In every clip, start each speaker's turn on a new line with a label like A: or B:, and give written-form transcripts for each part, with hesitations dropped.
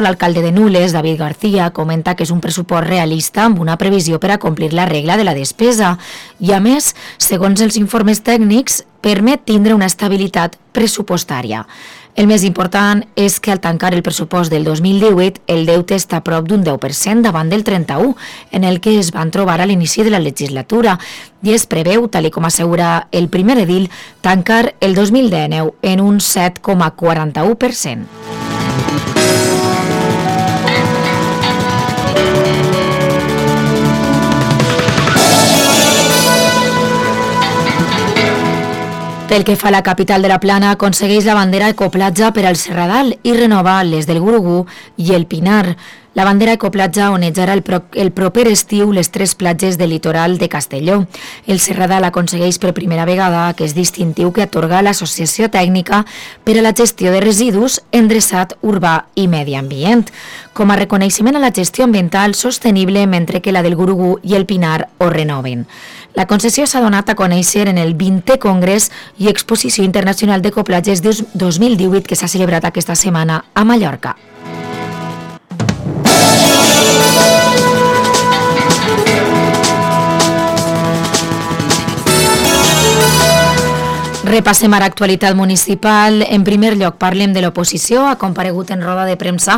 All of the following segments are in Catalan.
A: L'alcalde de Nules, David García, comenta que és un pressupost realista amb una previsió per a complir la regla de la despesa i, a més, segons els informes tècnics, permet tindre una estabilitat pressupostària. El més important és que al tancar el pressupost del 2018 el deute està a prop d'un 10% davant del 31%, en el que es van trobar a l'inici de la legislatura, i es preveu, tal com assegura el primer edil, tancar el 2019 en un 7,41%. Pel que fa a la capital de la Plana, aconsegueix la bandera Ecoplatja per al Serradal i renova les del Gurugú i el Pinar. La bandera Ecoplatja onejarà el proper estiu les 3 platges del litoral de Castelló. El Serradal aconsegueix per primera vegada aquest distintiu que atorga l'Associació Tècnica per a la Gestió de Residus, Endreçat Urbà i Medi Ambient, com a reconeixement a la gestió ambiental sostenible, mentre que la del Gurugú i el Pinar ho renoven. La concessió s'ha donat a conèixer en el 20è Congrés i Exposició Internacional d'Ecoplatges 2018 que s'ha celebrat aquesta setmana a Mallorca. Repassem ara actualitat municipal. En primer lloc parlem de l'oposició. Ha comparegut en roda de premsa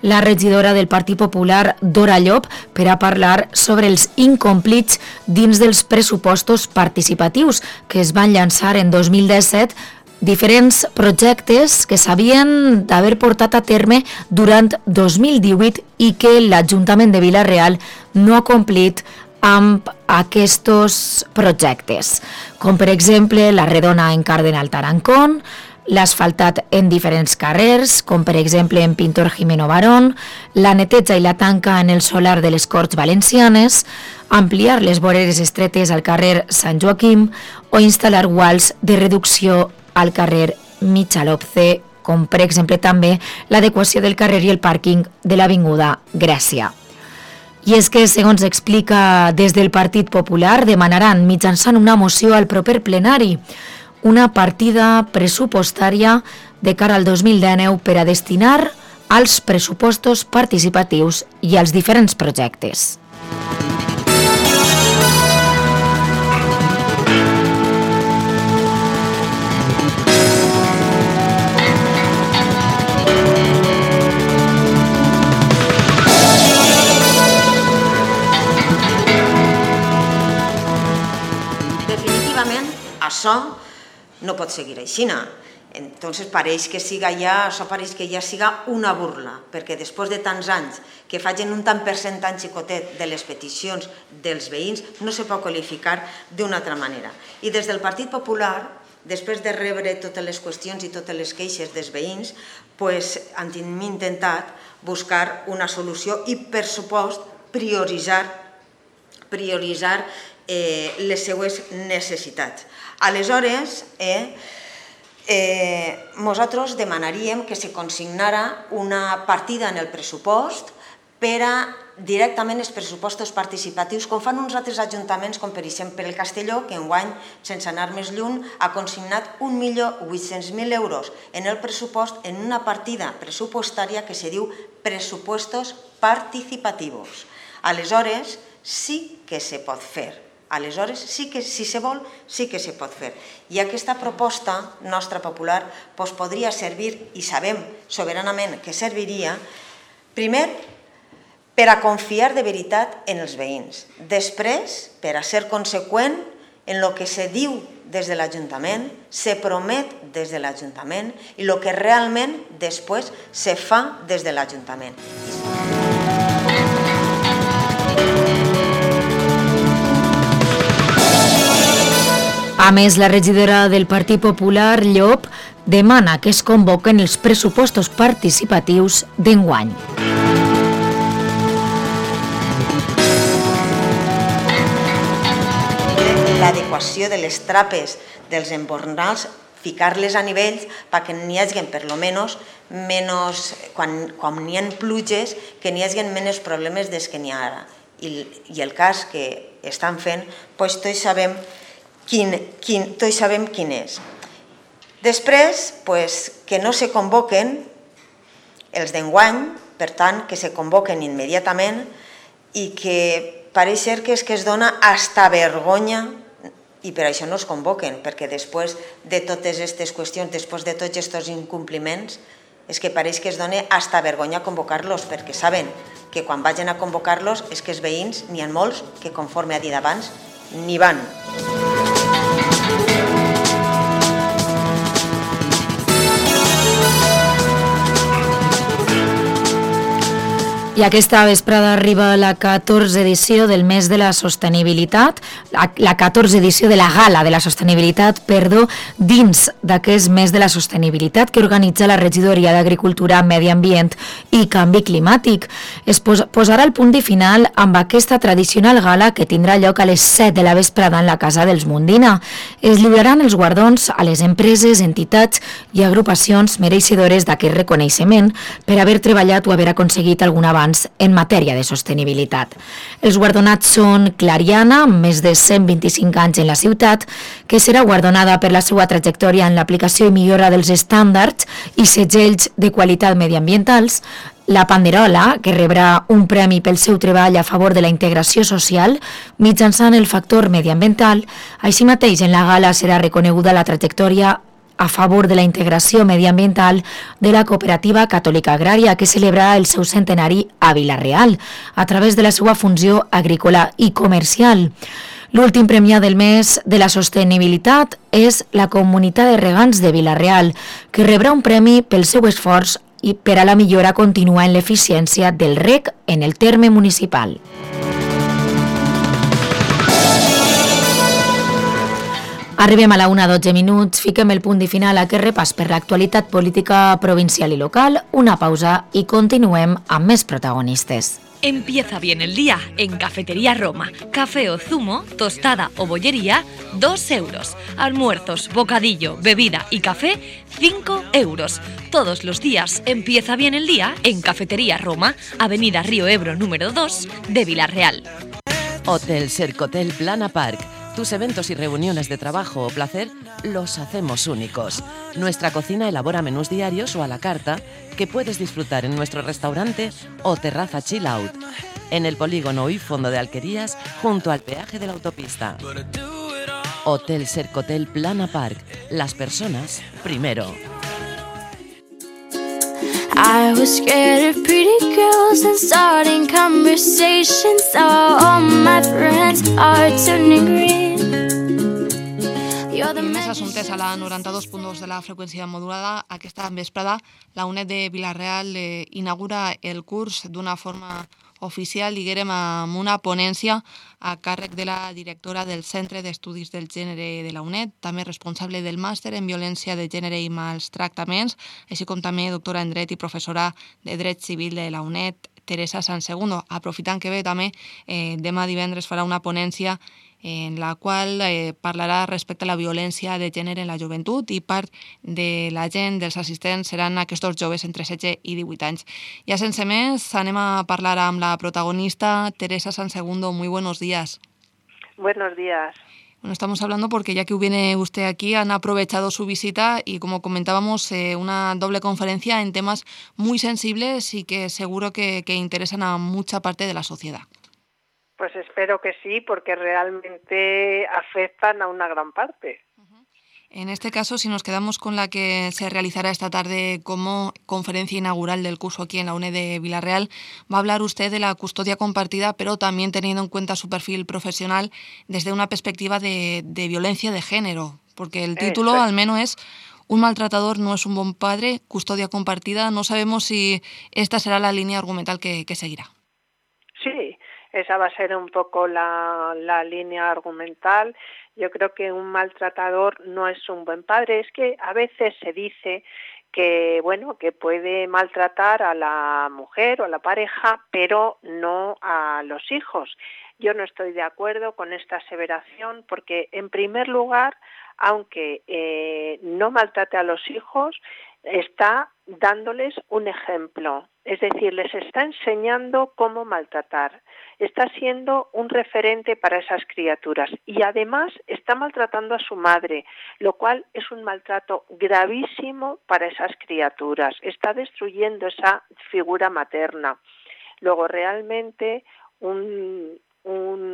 A: la regidora del Partit Popular, Dora Llop, per a parlar sobre els incomplits dins dels pressupostos participatius que es van llançar en 2017, diferents projectes que s'havien d'haver portat a terme durant 2018 i que l'Ajuntament de Vila-real no ha complit amb aquests projectes, com per exemple la redona en Cardenal Tarancón, l'asfaltat en diferents carrers, com per exemple en Pintor Jimeno Barón, la neteja i la tanca en el solar de les Corts Valencianes, ampliar les voreres estretes al carrer Sant Joaquim o instal·lar guals de reducció al carrer Michalopce, com per exemple també l'adequació del carrer i el pàrquing de l'Avinguda Grècia. I és que, segons explica des del Partit Popular, demanaran mitjançant una moció al proper plenari una partida pressupostària de cara al 2019 per a destinar als pressupostos participatius i als diferents projectes.
B: Això no pot seguir així. Entonces això pareix que ja siga una burla, perquè després de tants anys que facin un tant percentatge xicotet de les peticions dels veïns no se pot qualificar d'una altra manera. I des del Partit Popular, després de rebre totes les qüestions i totes les queixes dels veïns, hem intentat buscar una solució i, per supost, prioritzar les seues necessitats. Aleshores, nosaltres demanaríem que se consignara una partida en el pressupost per a directament els pressupostos participatius, com fan uns altres ajuntaments, com per exemple el Castelló, que enguany, sense anar més lluny, ha consignat 1.800.000 euros en el pressupost en una partida pressupostària que se diu pressupostos participativos. Aleshores, sí que se pot fer. Aleshores, sí que, si se vol, sí que se pot fer. I aquesta proposta nostra popular podria servir, i sabem soberanament que serviria, primer, per a confiar de veritat en els veïns. Després, per a ser conseqüent en el que se diu des de l'Ajuntament, se promet des de l'Ajuntament i el que realment després se fa des de l'Ajuntament.
A: A més, la regidora del Partit Popular, Llop, demana que es convoquen els pressupostos participatius d'enguany.
B: L'adequació de les trapes dels embornals, ficar-les a nivells perquè n'hi hagi, per lo menys, quan n'hi ha pluges, que n'hi hagi menys problemes des que n'hi ha ara. I el cas que estan fent, tots sabem quin és. Després, que no se convoquen els d'enguany, Per tant, que se convoquen immediatament i que pareix ser que es dona hasta vergonya i per això no es convoquen, perquè després de totes aquestes qüestions, després de tots aquests incompliments, és que pareix que es dona hasta vergonya convocar-los, perquè saben que quan vagin a convocar-los és que els veïns, n'hi ha molts que, conforme ha dit abans, ni van.
A: I aquesta vesprada arriba la 14 edició del mes de la sostenibilitat, la 14 edició de la gala de la sostenibilitat, dins d'aquest mes de la sostenibilitat que organitza la Regidoria d'Agricultura, Medi Ambient i Canvi Climàtic. Es posarà el punt i final amb aquesta tradicional gala que tindrà lloc a les 7 de la vesprada en la Casa dels Mundina. Es lliuraran els guardons a les empreses, entitats i agrupacions mereixedores d'aquest reconeixement per haver treballat o haver aconseguit algun avanç en matèria de sostenibilitat. Els guardonats són Clariana, amb més de 125 anys en la ciutat, que serà guardonada per la seva trajectòria en l'aplicació i millora dels estàndards i segells de qualitat mediambientals, la Panderola, que rebrà un premi pel seu treball a favor de la integració social mitjançant el factor mediambiental. Així mateix, en la gala serà reconeguda la trajectòria a favor de la integració mediambiental de la Cooperativa Catòlica Agrària, que celebra el seu centenari a Vila-real, a través de la seva funció agrícola i comercial. L'últim premiat del mes de la sostenibilitat és la Comunitat de Regants de Vila-real, que rebrà un premi pel seu esforç i per a la millora contínua en l'eficiència del reg en el terme municipal. Arribem a la 1:12, fiquem el punt i final a aquest repàs per l'actualitat política provincial i local, una pausa i continuem amb més protagonistes.
C: Empieza bien el día en Cafetería Roma. Café o zumo, tostada o bollería, 2 euros. Almuerzos, bocadillo, bebida y café, 5 euros. Todos los días empieza bien el día en Cafetería Roma, Avenida Río Ebro número 2 de Vila-real.
D: Hotel Sercotel Plana Park. Tus eventos y reuniones de trabajo o placer los hacemos únicos. Nuestra cocina elabora menús diarios o a la carta que puedes disfrutar en nuestro restaurante o terraza chill out, en el polígono y fondo de Alquerías, junto al peaje de la autopista. Hotel Sercotel Plana Park. Las personas primero.
E: I was scared of pretty girls and starting conversations. All my friends are turning green.
F: Més assumptes a la 92.2 de la freqüència modulada. Aquesta vesprada la UNED de Vila-real inaugura el curs d'una forma oficial, diguem, amb una ponència a càrrec de la directora del Centre d'Estudis del Gènere de la UNED, també responsable del màster en violència de gènere i maltractaments, així com també doctora en dret i professora de dret civil de la UNED, Teresa Sansegundo. Aprofitant que ve també, demà divendres farà una ponència en la qual parlarà respecte a la violència de gènere en la joventut i part de la gent, dels assistents, seran aquests joves entre 16 i 18 anys. Ja sense més, anem a parlar amb la protagonista, Teresa Sansegundo. Muy buenos días.
G: Buenos días.
F: Bueno, estamos hablando porque ya que viene usted aquí, han aprovechado su visita y, como comentábamos, una doble conferencia en temas muy sensibles y que seguro que interesan a mucha parte de la sociedad.
G: Pues espero que sí, porque realmente afectan a una gran parte.
F: En este caso, si nos quedamos con la que se realizará esta tarde como conferencia inaugural del curso aquí en la UNED de Vila-real, va a hablar usted de la custodia compartida, pero también teniendo en cuenta su perfil profesional desde una perspectiva de violencia de género, porque el título al menos es "Un maltratador no es un buen padre, custodia compartida". No sabemos si esta será la línea argumental que seguirá.
G: Sí, esa va a ser un poco la línea argumental. Yo creo que un maltratador no es un buen padre. Es que a veces se dice que, bueno, que puede maltratar a la mujer o a la pareja, pero no a los hijos. Yo no estoy de acuerdo con esta aseveración porque, en primer lugar, aunque no maltrate a los hijos, está dándoles un ejemplo, es decir, les está enseñando cómo maltratar, está siendo un referente para esas criaturas y además está maltratando a su madre, lo cual es un maltrato gravísimo para esas criaturas, está destruyendo esa figura materna. Luego, realmente un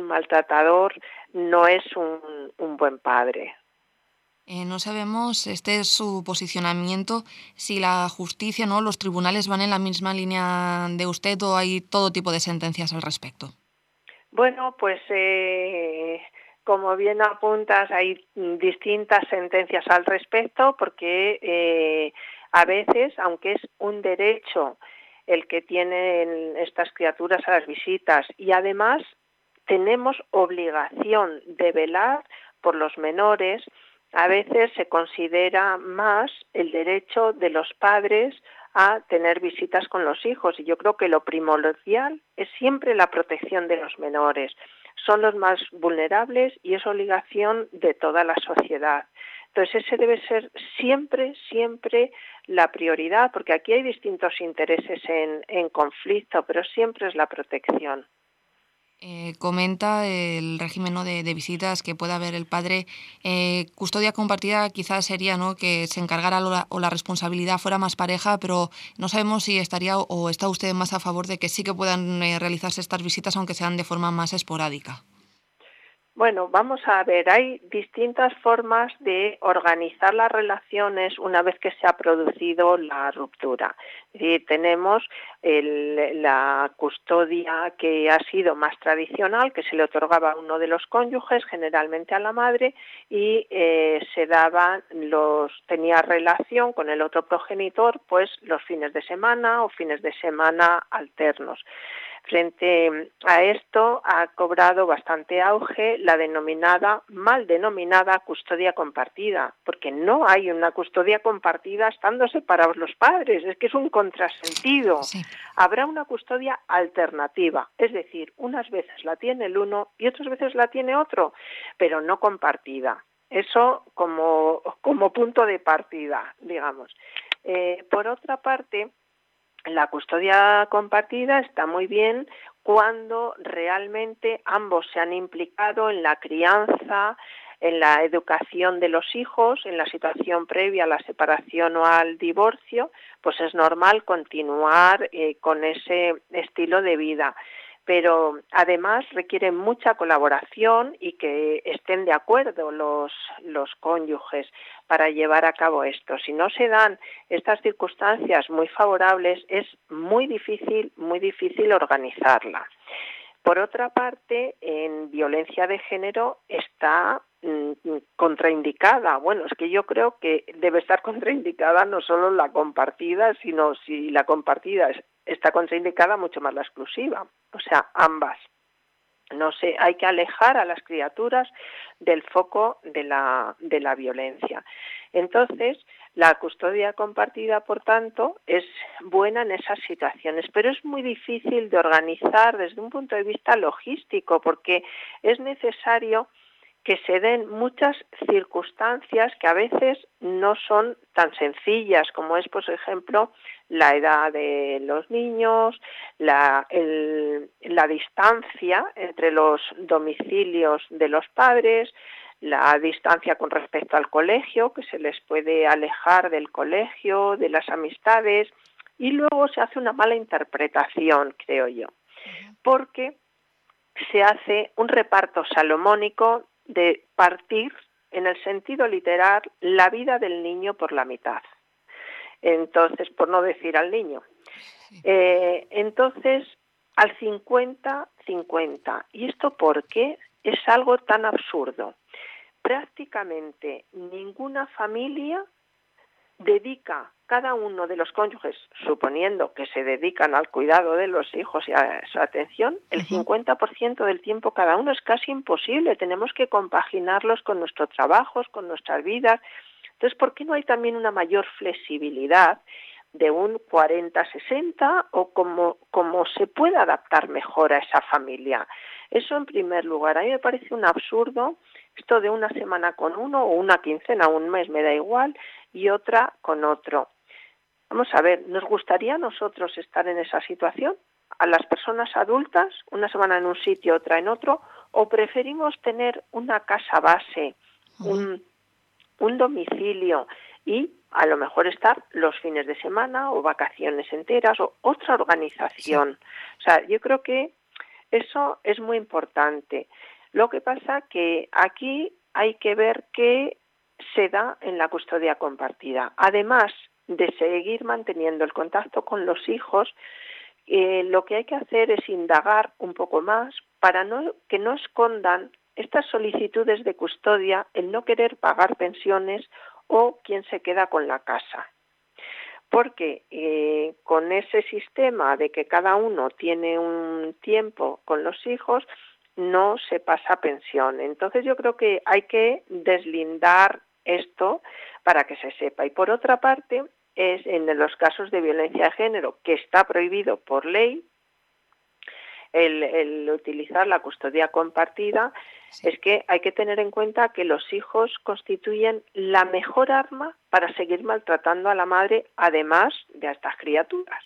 G: maltratador no es un buen padre.
F: No sabemos, este es su posicionamiento, si la justicia, ¿no?, los tribunales van en la misma línea de usted o hay todo tipo de sentencias al respecto.
G: Bueno, pues como bien apuntas, hay distintas sentencias al respecto porque a veces, aunque es un derecho el que tienen estas criaturas a las visitas y además tenemos obligación de velar por los menores, a veces se considera más el derecho de los padres a tener visitas con los hijos y yo creo que lo primordial es siempre la protección de los menores. Son los más vulnerables y es obligación de toda la sociedad. Entonces ese debe ser siempre la prioridad, porque aquí hay distintos intereses en conflicto, pero siempre es la protección.
F: Comenta el régimen, ¿no?, de visitas que pueda haber el padre. Custodia compartida quizás sería, ¿no?, que se encargara o la responsabilidad fuera más pareja, pero no sabemos si estaría o está usted más a favor de que sí que puedan realizarse estas visitas, aunque sean de forma más esporádica.
G: Bueno, vamos a ver, hay distintas formas de organizar las relaciones una vez que se ha producido la ruptura. Es decir, tenemos la custodia que ha sido más tradicional, que se le otorgaba a uno de los cónyuges, generalmente a la madre, y tenía relación con el otro progenitor, pues los fines de semana o fines de semana alternos. Frente a esto ha cobrado bastante auge la mal denominada custodia compartida, porque no hay una custodia compartida estando separados los padres, es que es un contrasentido.
F: Sí.
G: Habrá una custodia alternativa, es decir, unas veces la tiene el uno y otras veces la tiene otro, pero no compartida. Eso como punto de partida, digamos. Por otra parte, la custodia compartida está muy bien cuando realmente ambos se han implicado en la crianza, en la educación de los hijos, en la situación previa a la separación o al divorcio, pues es normal continuar con ese estilo de vida. Pero además requiere mucha colaboración y que estén de acuerdo los cónyuges para llevar a cabo esto. Si no se dan estas circunstancias muy favorables, es muy difícil organizarla. Por otra parte, en violencia de género está contraindicada. Bueno, es que yo creo que debe estar contraindicada no solo la compartida, sino si la compartida está contraindicada, mucho más la exclusiva. O sea, ambas. No sé, hay que alejar a las criaturas del foco de la violencia. Entonces, la custodia compartida, por tanto, es buena en esas situaciones, pero es muy difícil de organizar desde un punto de vista logístico, porque es necesario que se den muchas circunstancias que a veces no son tan sencillas, como es, por ejemplo, la edad de los niños, la distancia entre los domicilios de los padres, la distancia con respecto al colegio, que se les puede alejar del colegio, de las amistades, y luego se hace una mala interpretación, creo yo, porque se hace un reparto salomónico de partir, en el sentido literal, la vida del niño por la mitad. Entonces, por no decir al niño. Entonces, al 50-50. ¿Y esto por qué? Es algo tan absurdo. Prácticamente ninguna familia dedica, cada uno de los cónyuges, suponiendo que se dedican al cuidado de los hijos y a su atención, el 50% del tiempo cada uno. Es casi imposible, tenemos que compaginarlos con nuestros trabajos, con nuestras vidas. Entonces, ¿por qué no hay también una mayor flexibilidad de un 40-60 o como se pueda adaptar mejor a esa familia? Eso en primer lugar. A mí me parece un absurdo esto de una semana con uno o una quincena, un mes, me da igual, y otra con otro. Vamos a ver, ¿nos gustaría a nosotros estar en esa situación? A las personas adultas, una semana en un sitio, otra en otro, o preferimos tener una casa base, un domicilio y a lo mejor estar los fines de semana o vacaciones enteras o otra organización. O sea, yo creo que eso es muy importante. Lo que pasa que aquí hay que ver qué se da en la custodia compartida. Además de seguir manteniendo el contacto con los hijos, lo que hay que hacer es indagar un poco más para que no escondan estas solicitudes de custodia, el no querer pagar pensiones o quien se queda con la casa. Porque con ese sistema de que cada uno tiene un tiempo con los hijos, no se pasa pensión. Entonces yo creo que hay que deslindar esto para que se sepa. Y por otra parte, es en los casos de violencia de género, que está prohibido por ley, el utilizar la custodia compartida, es que hay que tener en cuenta que los hijos constituyen la mejor arma para seguir maltratando a la madre, además de a estas criaturas.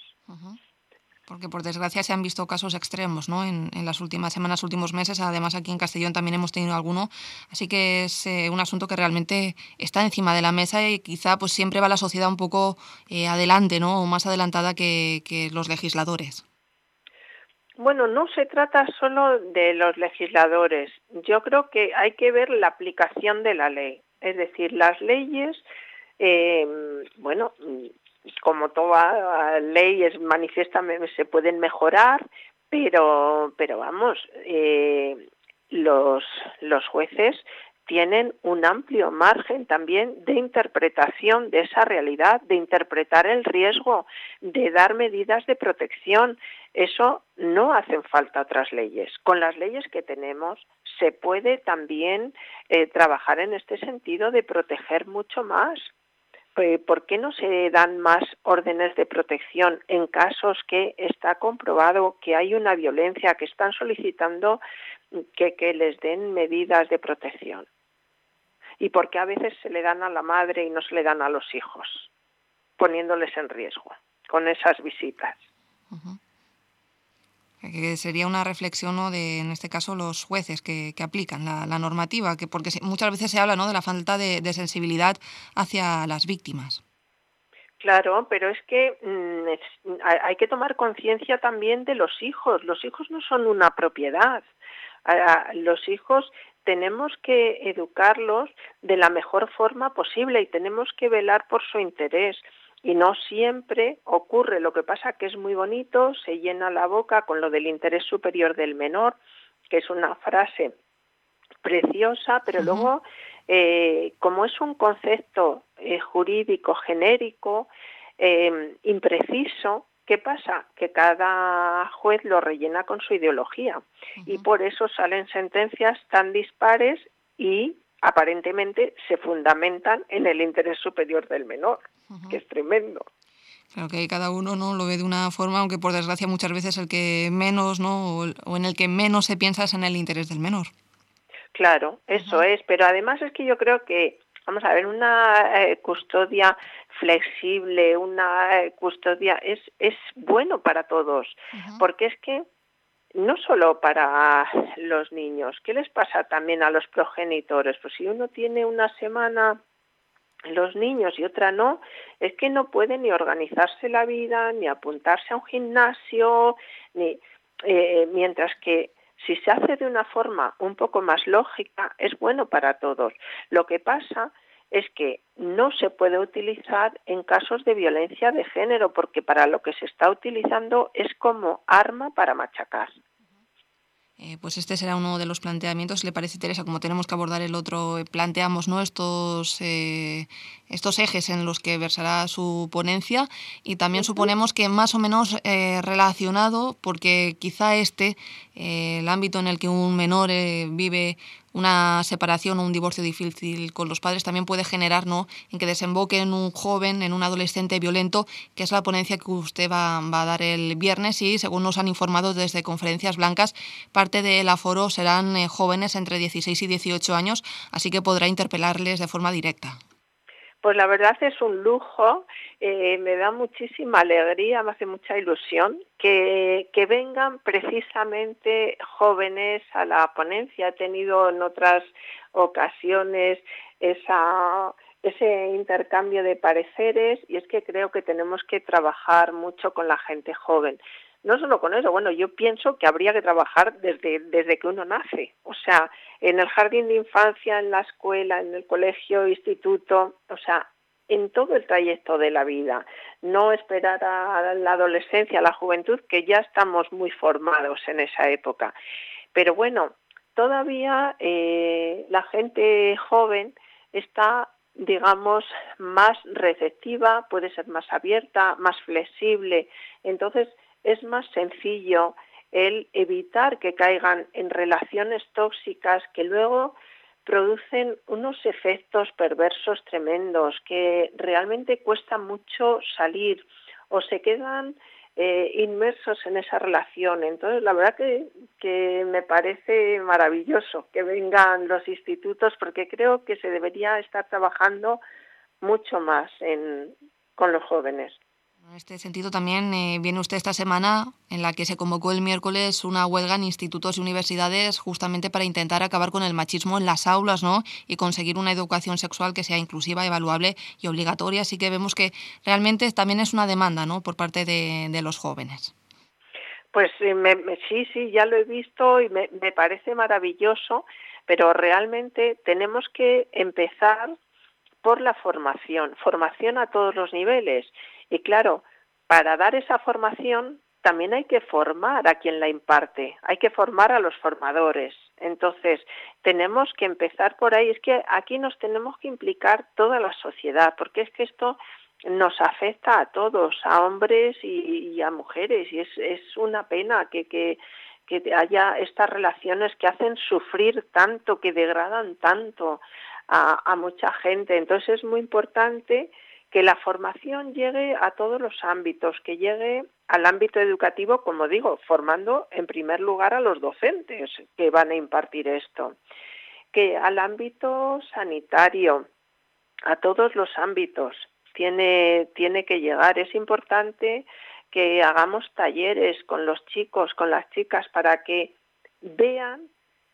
F: Porque por desgracia se han visto casos extremos, ¿no? En las últimas semanas, últimos meses. Además aquí en Castellón también hemos tenido alguno. Así que es un asunto que realmente está encima de la mesa y quizá pues siempre va la sociedad un poco adelante, ¿no? O más adelantada que los legisladores.
G: Bueno, no se trata solo de los legisladores. Yo creo que hay que ver la aplicación de la ley. Es decir, las leyes, como toda ley es manifiesta, se pueden mejorar, pero vamos, los jueces tienen un amplio margen también de interpretación de esa realidad, de interpretar el riesgo, de dar medidas de protección. Eso no hacen falta otras leyes. Con las leyes que tenemos se puede también trabajar en este sentido de proteger mucho más. ¿Por qué no se dan más órdenes de protección en casos que está comprobado que hay una violencia, que están solicitando que les den medidas de protección? ¿Y por qué a veces se le dan a la madre y no se le dan a los hijos, poniéndoles en riesgo con esas visitas?
F: Que sería una reflexión, ¿no?, de, en este caso, los jueces que aplican la normativa, porque muchas veces se habla, ¿no?, de la falta de sensibilidad hacia las víctimas.
G: Claro, pero es que hay que tomar conciencia también de los hijos. Los hijos no son una propiedad. Los hijos tenemos que educarlos de la mejor forma posible y tenemos que velar por su interés. Y no siempre ocurre. Lo que pasa que es muy bonito, se llena la boca con lo del interés superior del menor, que es una frase preciosa, pero luego, como es un concepto jurídico genérico, impreciso, ¿qué pasa? Que cada juez lo rellena con su ideología y por eso salen sentencias tan dispares y aparentemente se fundamentan en el interés superior del menor, que es tremendo.
F: Claro que cada uno, ¿no?, lo ve de una forma, aunque por desgracia muchas veces el que menos, ¿no?, o en el que menos se piensa es en el interés del menor.
G: Claro, eso es, pero además es que yo creo que, vamos a ver, una custodia flexible, una custodia es bueno para todos, porque es que no solo para los niños, ¿qué les pasa también a los progenitores? Pues si uno tiene una semana los niños y otra no, es que no pueden ni organizarse la vida, ni apuntarse a un gimnasio, ni mientras que si se hace de una forma un poco más lógica, es bueno para todos. Lo que pasa es que no se puede utilizar en casos de violencia de género, porque para lo que se está utilizando es como arma para machacar.
F: Pues este será uno de los planteamientos. ¿Le parece, Teresa? Como tenemos que abordar el otro, planteamos, ¿no?, estos ejes en los que versará su ponencia, y también suponemos que más o menos relacionado, porque quizá el ámbito en el que un menor vive una separación o un divorcio difícil con los padres también puede generar, ¿no?, en que desemboque en un joven, en un adolescente violento, que es la ponencia que usted va a dar el viernes, y según nos han informado desde Conferencias Blancas, parte del aforo serán jóvenes entre 16 y 18 años, así que podrá interpelarles de forma directa.
G: Pues la verdad es un lujo, me da muchísima alegría, me hace mucha ilusión que vengan precisamente jóvenes a la ponencia. He tenido en otras ocasiones ese intercambio de pareceres y es que creo que tenemos que trabajar mucho con la gente joven. No solo con eso, bueno, yo pienso que habría que trabajar desde que uno nace, o sea, en el jardín de infancia, en la escuela, en el colegio, instituto, o sea, en todo el trayecto de la vida, no esperar a la adolescencia, a la juventud, que ya estamos muy formados en esa época. Pero bueno, todavía la gente joven está, digamos, más receptiva, puede ser más abierta, más flexible, entonces es más sencillo el evitar que caigan en relaciones tóxicas que luego producen unos efectos perversos tremendos que realmente cuesta mucho salir o se quedan inmersos en esa relación. Entonces, la verdad que me parece maravilloso que vengan los institutos porque creo que se debería estar trabajando mucho más con los jóvenes.
F: En este sentido también viene usted esta semana en la que se convocó el miércoles una huelga en institutos y universidades justamente para intentar acabar con el machismo en las aulas, ¿no? Y conseguir una educación sexual que sea inclusiva, evaluable y obligatoria. Así que vemos que realmente también es una demanda, ¿no?, por parte de los jóvenes.
G: Pues sí, ya lo he visto y me parece maravilloso, pero realmente tenemos que empezar por la formación a todos los niveles. Y claro, para dar esa formación también hay que formar a quien la imparte, hay que formar a los formadores. Entonces, tenemos que empezar por ahí. Es que aquí nos tenemos que implicar toda la sociedad, porque es que esto nos afecta a todos, a hombres y a mujeres, y es una pena que haya estas relaciones que hacen sufrir tanto, que degradan tanto a mucha gente. Entonces es muy importante que la formación llegue a todos los ámbitos, que llegue al ámbito educativo, como digo, formando en primer lugar a los docentes que van a impartir esto, que al ámbito sanitario, a todos los ámbitos, tiene que llegar. Es importante que hagamos talleres con los chicos, con las chicas, para que vean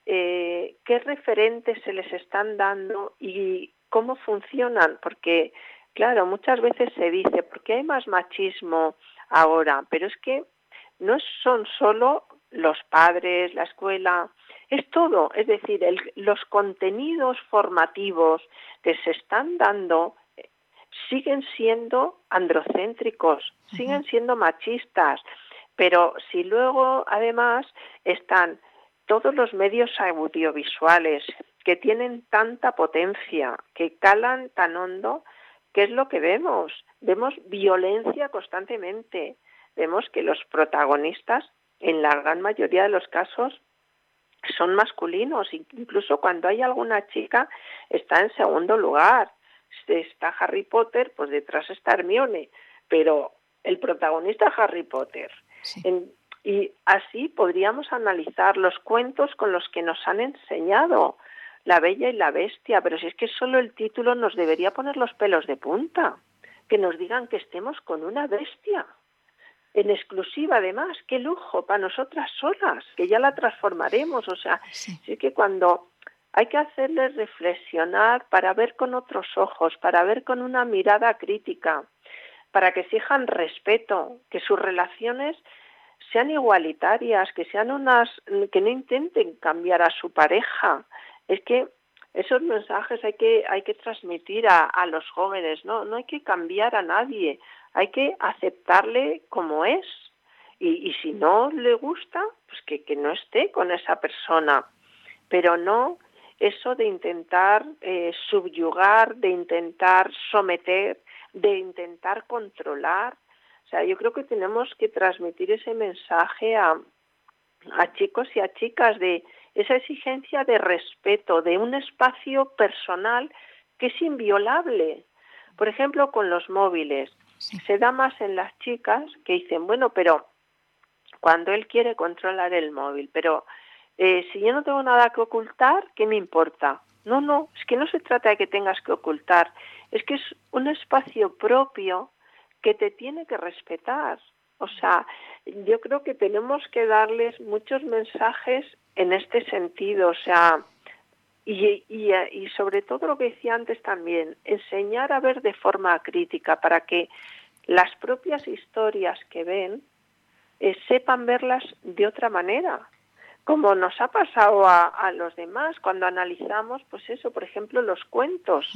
G: qué referentes se les están dando y cómo funcionan, porque claro, muchas veces se dice, ¿por qué hay más machismo ahora? Pero es que no son solo los padres, la escuela, es todo. Es decir, los contenidos formativos que se están dando siguen siendo androcéntricos, siguen siendo machistas, pero si luego además están todos los medios audiovisuales que tienen tanta potencia, que calan tan hondo, ¿qué es lo que vemos? Vemos violencia constantemente. Vemos que los protagonistas, en la gran mayoría de los casos, son masculinos. Incluso cuando hay alguna chica, está en segundo lugar. Está Harry Potter, pues detrás está Hermione. Pero el protagonista es Harry Potter. Sí. Y así podríamos analizar los cuentos con los que nos han enseñado La Bella y la Bestia, pero si es que solo el título nos debería poner los pelos de punta, que nos digan que estemos con una bestia, en exclusiva además, qué lujo para nosotras solas, que ya la transformaremos, o sea, sí. Es que cuando hay que hacerles reflexionar para ver con otros ojos, para ver con una mirada crítica, para que exijan respeto, que sus relaciones sean igualitarias, que sean que no intenten cambiar a su pareja. Es que esos mensajes hay que transmitir a los jóvenes, ¿no? No hay que cambiar a nadie, hay que aceptarle como es. Y si no le gusta, pues que no esté con esa persona. Pero no eso de intentar subyugar, de intentar someter, de intentar controlar. O sea, yo creo que tenemos que transmitir ese mensaje a chicos y a chicas de esa exigencia de respeto, de un espacio personal que es inviolable. Por ejemplo, con los móviles. Sí. Se da más en las chicas que dicen, bueno, pero cuando él quiere controlar el móvil, pero si yo no tengo nada que ocultar, ¿qué me importa? No, es que no se trata de que tengas que ocultar, es que es un espacio propio que te tiene que respetar. O sea, yo creo que tenemos que darles muchos mensajes en este sentido, o sea, y sobre todo lo que decía antes también, enseñar a ver de forma crítica para que las propias historias que ven sepan verlas de otra manera, como nos ha pasado a los demás cuando analizamos, pues eso, por ejemplo, los cuentos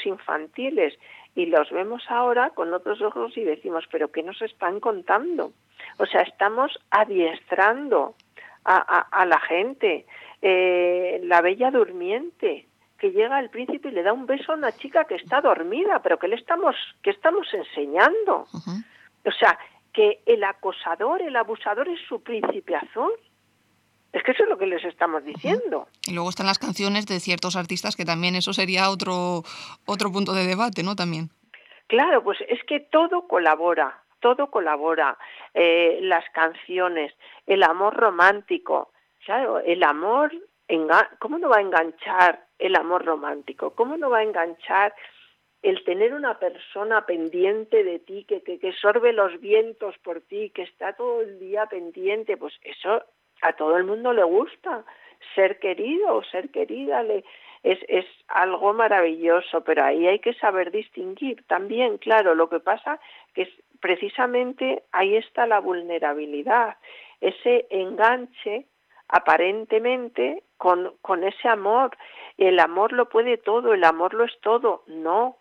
G: infantiles, y los vemos ahora con otros ojos y decimos, ¿pero qué nos están contando? O sea, estamos adiestrando a la gente. La Bella Durmiente, que llega el príncipe y le da un beso a una chica que está dormida, pero ¿qué estamos enseñando? O sea, que el acosador, el abusador es su príncipe azul. Es que eso es lo que les estamos diciendo.
F: Y luego están las canciones de ciertos artistas, que también eso sería otro punto de debate, ¿no? También.
G: Claro, pues es que todo colabora. Las canciones, el amor romántico. Claro, el amor, ¿cómo no va a enganchar el amor romántico? ¿Cómo no va a enganchar el tener una persona pendiente de ti, que sorbe los vientos por ti, que está todo el día pendiente? Pues eso a todo el mundo le gusta. Ser querido o ser querida es algo maravilloso, pero ahí hay que saber distinguir también, claro. Lo que pasa que es precisamente ahí está la vulnerabilidad, ese enganche aparentemente con ese amor. El amor lo puede todo, el amor lo es todo. No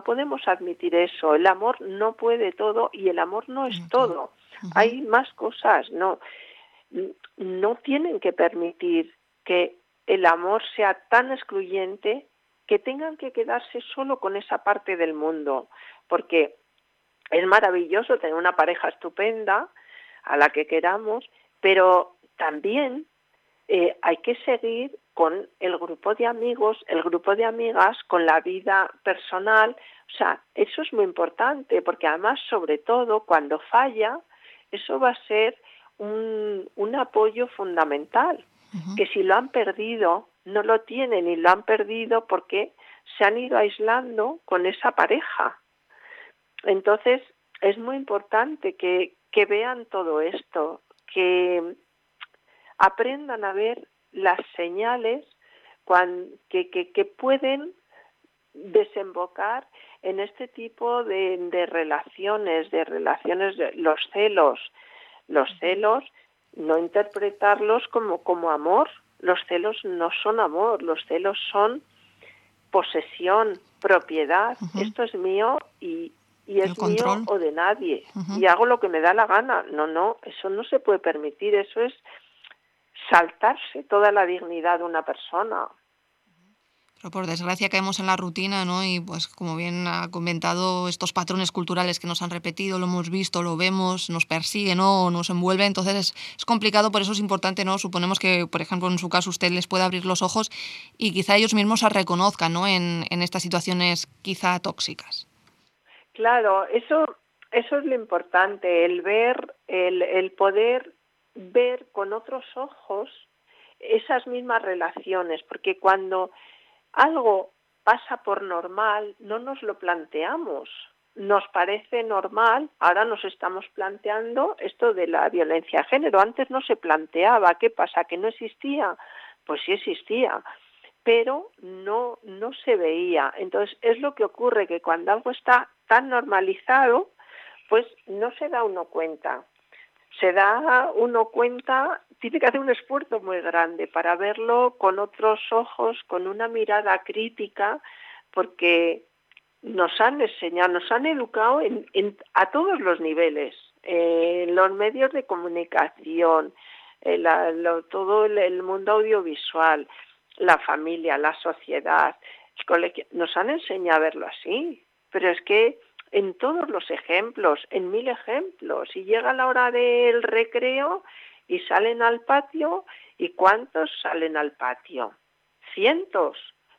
G: podemos admitir eso. El amor no puede todo y el amor no es todo. Hay más cosas. No tienen que permitir que el amor sea tan excluyente que tengan que quedarse solo con esa parte del mundo, porque es maravilloso tener una pareja estupenda a la que queramos, pero también hay que seguir con el grupo de amigos, el grupo de amigas, con la vida personal. O sea, eso es muy importante, porque además, sobre todo, cuando falla, eso va a ser un apoyo fundamental, que si lo han perdido, no lo tienen, y lo han perdido porque se han ido aislando con esa pareja. Entonces, es muy importante que vean todo esto, que aprendan a ver las señales que pueden desembocar en este tipo de relaciones, los celos, no interpretarlos como amor. Los celos no son amor, los celos son posesión, propiedad. Esto es mío y es mío o de nadie. Y hago lo que me da la gana. No, eso no se puede permitir. Eso es saltarse toda la dignidad de una persona.
F: Pero por desgracia caemos en la rutina, ¿no? Y pues como bien ha comentado, estos patrones culturales que nos han repetido, lo hemos visto, lo vemos, nos persiguen, ¿no? Nos envuelve. Entonces es complicado, por eso es importante, ¿no? Suponemos que, por ejemplo, en su caso usted les puede abrir los ojos y quizá ellos mismos se reconozcan, ¿no? En estas situaciones quizá tóxicas.
G: Claro, eso es lo importante, el ver, el poder ver con otros ojos esas mismas relaciones, porque cuando algo pasa por normal, no nos lo planteamos. Nos parece normal, ahora nos estamos planteando esto de la violencia de género. Antes no se planteaba. ¿Qué pasa? ¿Que no existía? Pues sí existía, pero no se veía. Entonces es lo que ocurre, que cuando algo está tan normalizado, pues no se da uno cuenta. Tiene que hacer un esfuerzo muy grande para verlo con otros ojos, con una mirada crítica, porque nos han enseñado, nos han educado a todos los niveles, los medios de comunicación, todo el mundo audiovisual, la familia, la sociedad, el colegio, nos han enseñado a verlo así, pero es que en todos los ejemplos, en 1000 ejemplos, y llega la hora del recreo y salen al patio, ¿y cuántos salen al patio? Cientos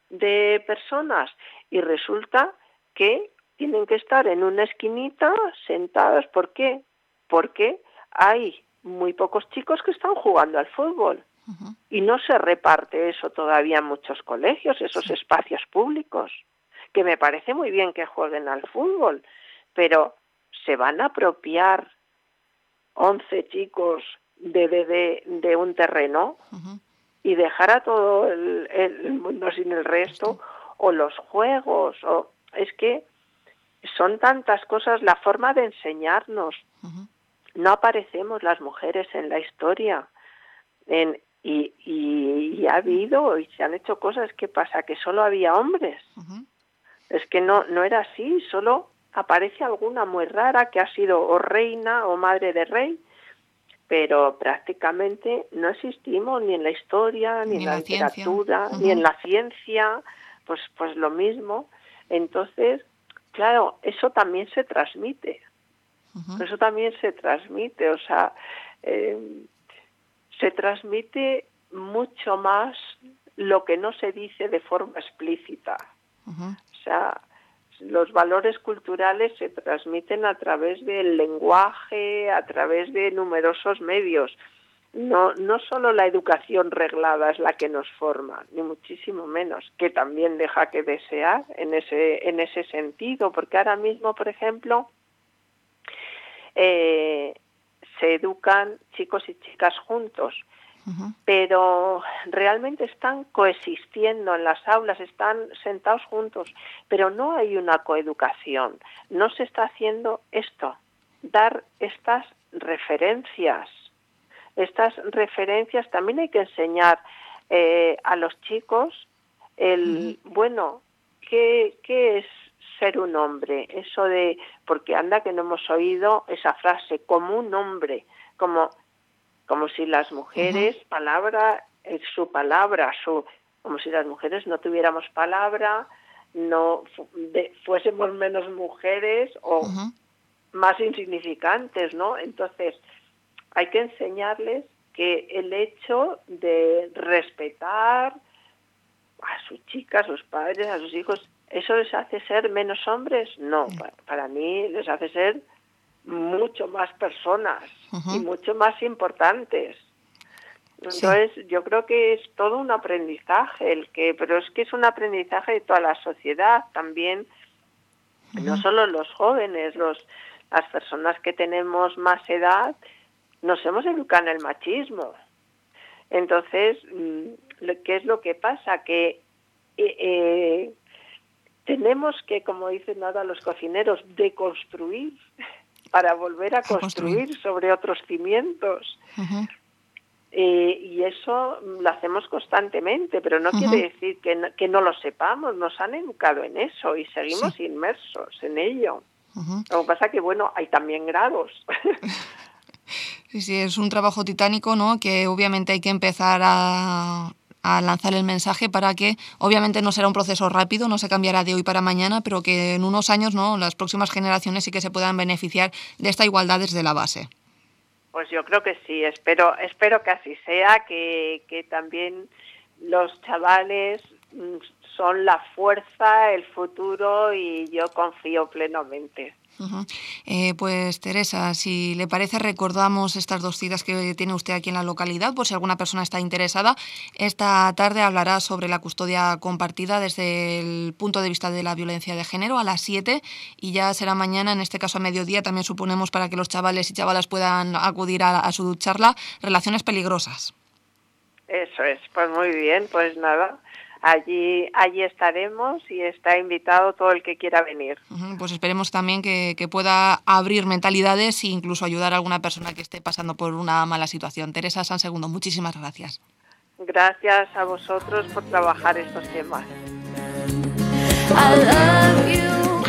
G: de personas, y resulta que tienen que estar en una esquinita sentados. ¿Por qué? Porque hay muy pocos chicos que están jugando al fútbol. Y no se reparte eso todavía en muchos colegios, esos espacios públicos, que me parece muy bien que jueguen al fútbol, pero se van a apropiar 11 chicos de un terreno y dejar a todo el mundo sin el resto, o los juegos, o es que son tantas cosas, la forma de enseñarnos. No aparecemos las mujeres en la historia, y ha habido y se han hecho cosas. ¿Qué pasa? Que solo había hombres. Es que no era así, solo aparece alguna muy rara que ha sido o reina o madre de rey, pero prácticamente no existimos ni en la historia, ni en la literatura, ni en la ciencia, pues lo mismo. Entonces, claro, eso también se transmite. Eso también se transmite, o sea, se transmite mucho más lo que no se dice de forma explícita. O sea, los valores culturales se transmiten a través del lenguaje, a través de numerosos medios. No solo la educación reglada es la que nos forma, ni muchísimo menos, que también deja que desear en ese sentido, porque ahora mismo, por ejemplo, se educan chicos y chicas juntos, pero realmente están coexistiendo en las aulas, están sentados juntos, pero no hay una coeducación, no se está haciendo esto, dar estas referencias. Estas referencias también hay que enseñar a los chicos bueno, ¿qué es ser un hombre? Eso de, porque anda que no hemos oído esa frase, como un hombre, como si las mujeres, palabra, su palabra, como si las mujeres no tuviéramos palabra, no fuésemos menos mujeres o más insignificantes, ¿no? Entonces, hay que enseñarles que el hecho de respetar a sus chicas, a sus padres, a sus hijos, ¿eso les hace ser menos hombres? No, para mí les hace ser mucho más personas y mucho más importantes. Entonces, yo creo que es todo un aprendizaje, pero es que es un aprendizaje de toda la sociedad también, no solo los jóvenes, las personas que tenemos más edad, nos hemos educado en el machismo. Entonces, ¿qué es lo que pasa? Que tenemos que, como dicen ahora los cocineros, deconstruir para volver a construir sobre otros cimientos. Y eso lo hacemos constantemente, pero no quiere decir que no lo sepamos. Nos han educado en eso y seguimos inmersos en ello. Lo que pasa que, bueno, hay también grados.
F: Sí, es un trabajo titánico, ¿no? Que obviamente hay que empezar a lanzar el mensaje para que, obviamente no será un proceso rápido, no se cambiará de hoy para mañana, pero que en unos años, ¿no?, las próximas generaciones sí que se puedan beneficiar de esta igualdad desde la base.
G: Pues yo creo que sí, espero que así sea, que también los chavales son la fuerza, el futuro, y yo confío plenamente.
F: Pues Teresa, si le parece, recordamos estas dos citas que tiene usted aquí en la localidad, por si alguna persona está interesada. Esta tarde hablará sobre la custodia compartida desde el punto de vista de la violencia de género a las 7, y ya será mañana, en este caso a mediodía, también suponemos, para que los chavales y chavalas puedan acudir a su charla, Relaciones peligrosas.
G: Eso es, pues muy bien, pues nada. Allí estaremos y está invitado todo el que quiera venir.
F: Pues esperemos también que pueda abrir mentalidades e incluso ayudar a alguna persona que esté pasando por una mala situación. Teresa Sansegundo, muchísimas gracias.
G: Gracias a vosotros por trabajar estos temas.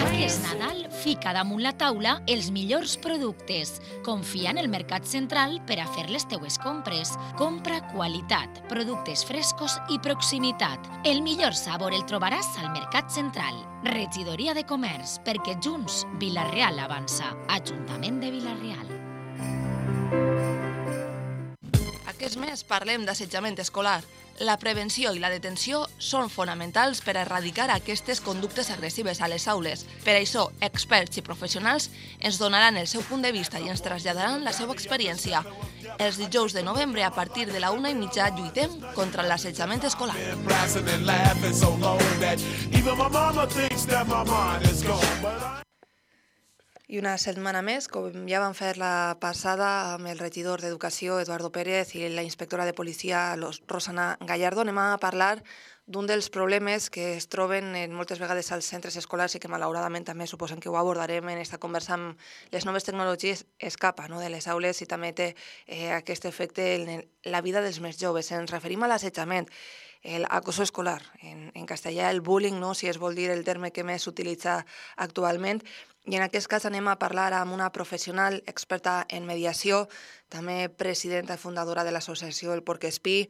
A: Aquest Nadal fica damunt la taula els millors productes. Confia en el Mercat Central per a fer les teues compres. Compra qualitat, productes frescos i proximitat. El millor sabor el trobaràs al Mercat Central. Regidoria de Comerç, perquè junts Vila-real avança. Ajuntament de Vila-real.
F: Aquest mes parlem d'assetjament escolar. La prevenció i la detenció són fonamentals per a erradicar aquestes conductes agressives a les aules. Per això, experts i professionals ens donaran el seu punt de vista i ens traslladaran la seva experiència. Els dijous de novembre, a partir de la 1:30, lluitem contra l'assetjament escolar.
H: I una setmana més, com ja vam fer la passada amb el regidor d'Educació, Eduardo Pérez, i la inspectora de policia, Rosana Gallardo, anem a parlar d'un dels problemes que es troben moltes vegades als centres escolars i que malauradament també suposem que ho abordarem en aquesta conversa amb les noves tecnologies, escapa de les aules i també té aquest efecte en la vida dels més joves. Ens referim a l'assetjament, l'acoso escolar, en castellà el bullying, si es vol dir el terme que més s'utilitza actualment. I en aquest cas anem a parlar amb una professional experta en mediació, també presidenta i fundadora de l'associació El Porquespí.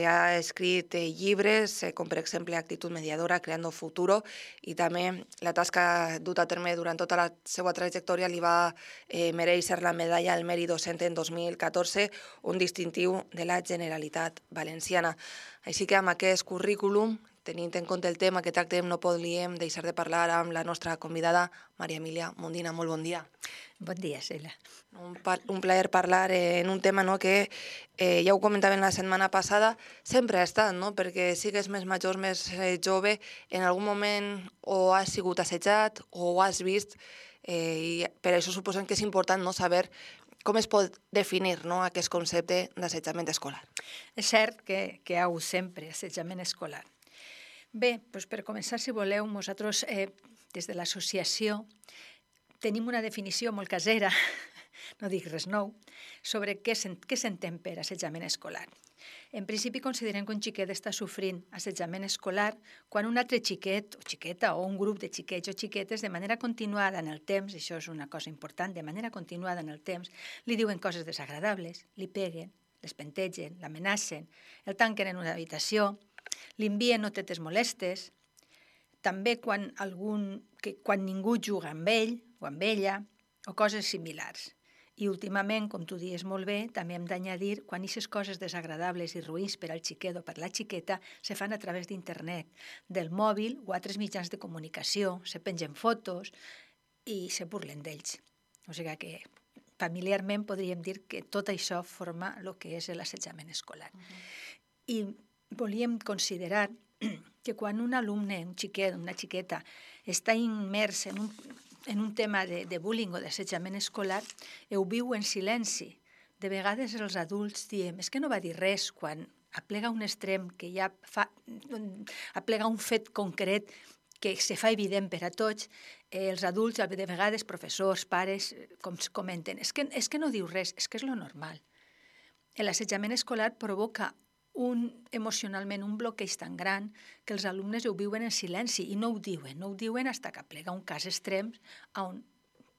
H: Ha escrit llibres, com per exemple Actitud Mediadora, Creando Futuro, i també la tasca duta a terme durant tota la seva trajectòria li va mereixer la medalla al mèrit docent en 2014, un distintiu de la Generalitat Valenciana. Així que amb aquest currículum, tenint en compte el tema que tractem, no podríem deixar de parlar amb la nostra convidada, Maria Emília Mundina. Molt bon dia.
I: Bon dia, Sheila.
H: Un plaer parlar en un tema que ja ho comentàvem la setmana passada, sempre ha estat, perquè sigues més major, més jove, en algun moment o has sigut assetjat o ho has vist, i per això suposem que és important saber com es pot definir aquest concepte d'assetjament escolar.
I: És cert que hi ha hagut sempre assetjament escolar. Bé, doncs per començar, si voleu, nosaltres des de l'associació tenim una definició molt casera, no dic res nou, sobre què s'entén per assetjament escolar. En principi considerem que un xiquet està sofrint assetjament escolar quan un altre xiquet o xiqueta o un grup de xiquets o xiquetes de manera continuada en el temps, això és una cosa important, de manera continuada en el temps, li diuen coses desagradables, li peguen, les pentegen, l'amenacen, el tanquen en una habitació, li envien notetes molestes, també quan ningú juga amb ell o amb ella, o coses similars. I últimament, com tu dius molt bé, també hem d'añadir quan aquestes coses desagradables i ruïns per al xiquet o per la xiqueta se fan a través d'internet, del mòbil o altres mitjans de comunicació, se pengen fotos i se burlen d'ells. O sigui que familiarment podríem dir que tot això forma el que és l'assetjament escolar. I volíem considerar que quan un alumne, un xiquet, una xiqueta, està immers en un tema de bullying o d'assetjament escolar, ho viu en silenci. De vegades els adults diem, és que no va dir res quan aplega un extrem que ja aplega un fet concret que se fa evident per a tots. Els adults, de vegades professors, pares, com comenten, és que no diu res, és que és lo normal. L'assetjament escolar provoca emocionalment un bloqueig tan gran que els alumnes ho viuen en silenci i no ho diuen fins que aplega un cas extrem on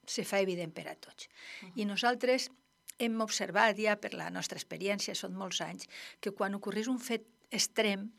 I: se fa evident per a tots. I nosaltres hem observat ja per la nostra experiència, són molts anys, que quan ocorreix un fet extrem,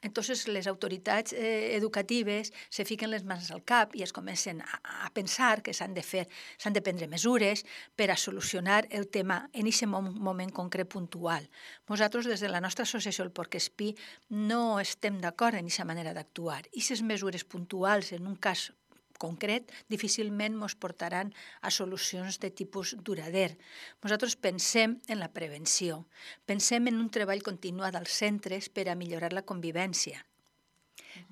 I: entonces les autoritats educatives se fiquen les mans al cap i es comencen a pensar que s'han de prendre mesures per a solucionar el tema en aquest moment concret puntual. Nosaltres, des de la nostra associació El Porquespí, no estem d'acord en aquesta manera d'actuar. Aquestes mesures puntuals en un cas concret difícilment ens portaran a solucions de tipus durader. Nosaltres pensem en la prevenció, pensem en un treball continuat als centres per a millorar la convivència,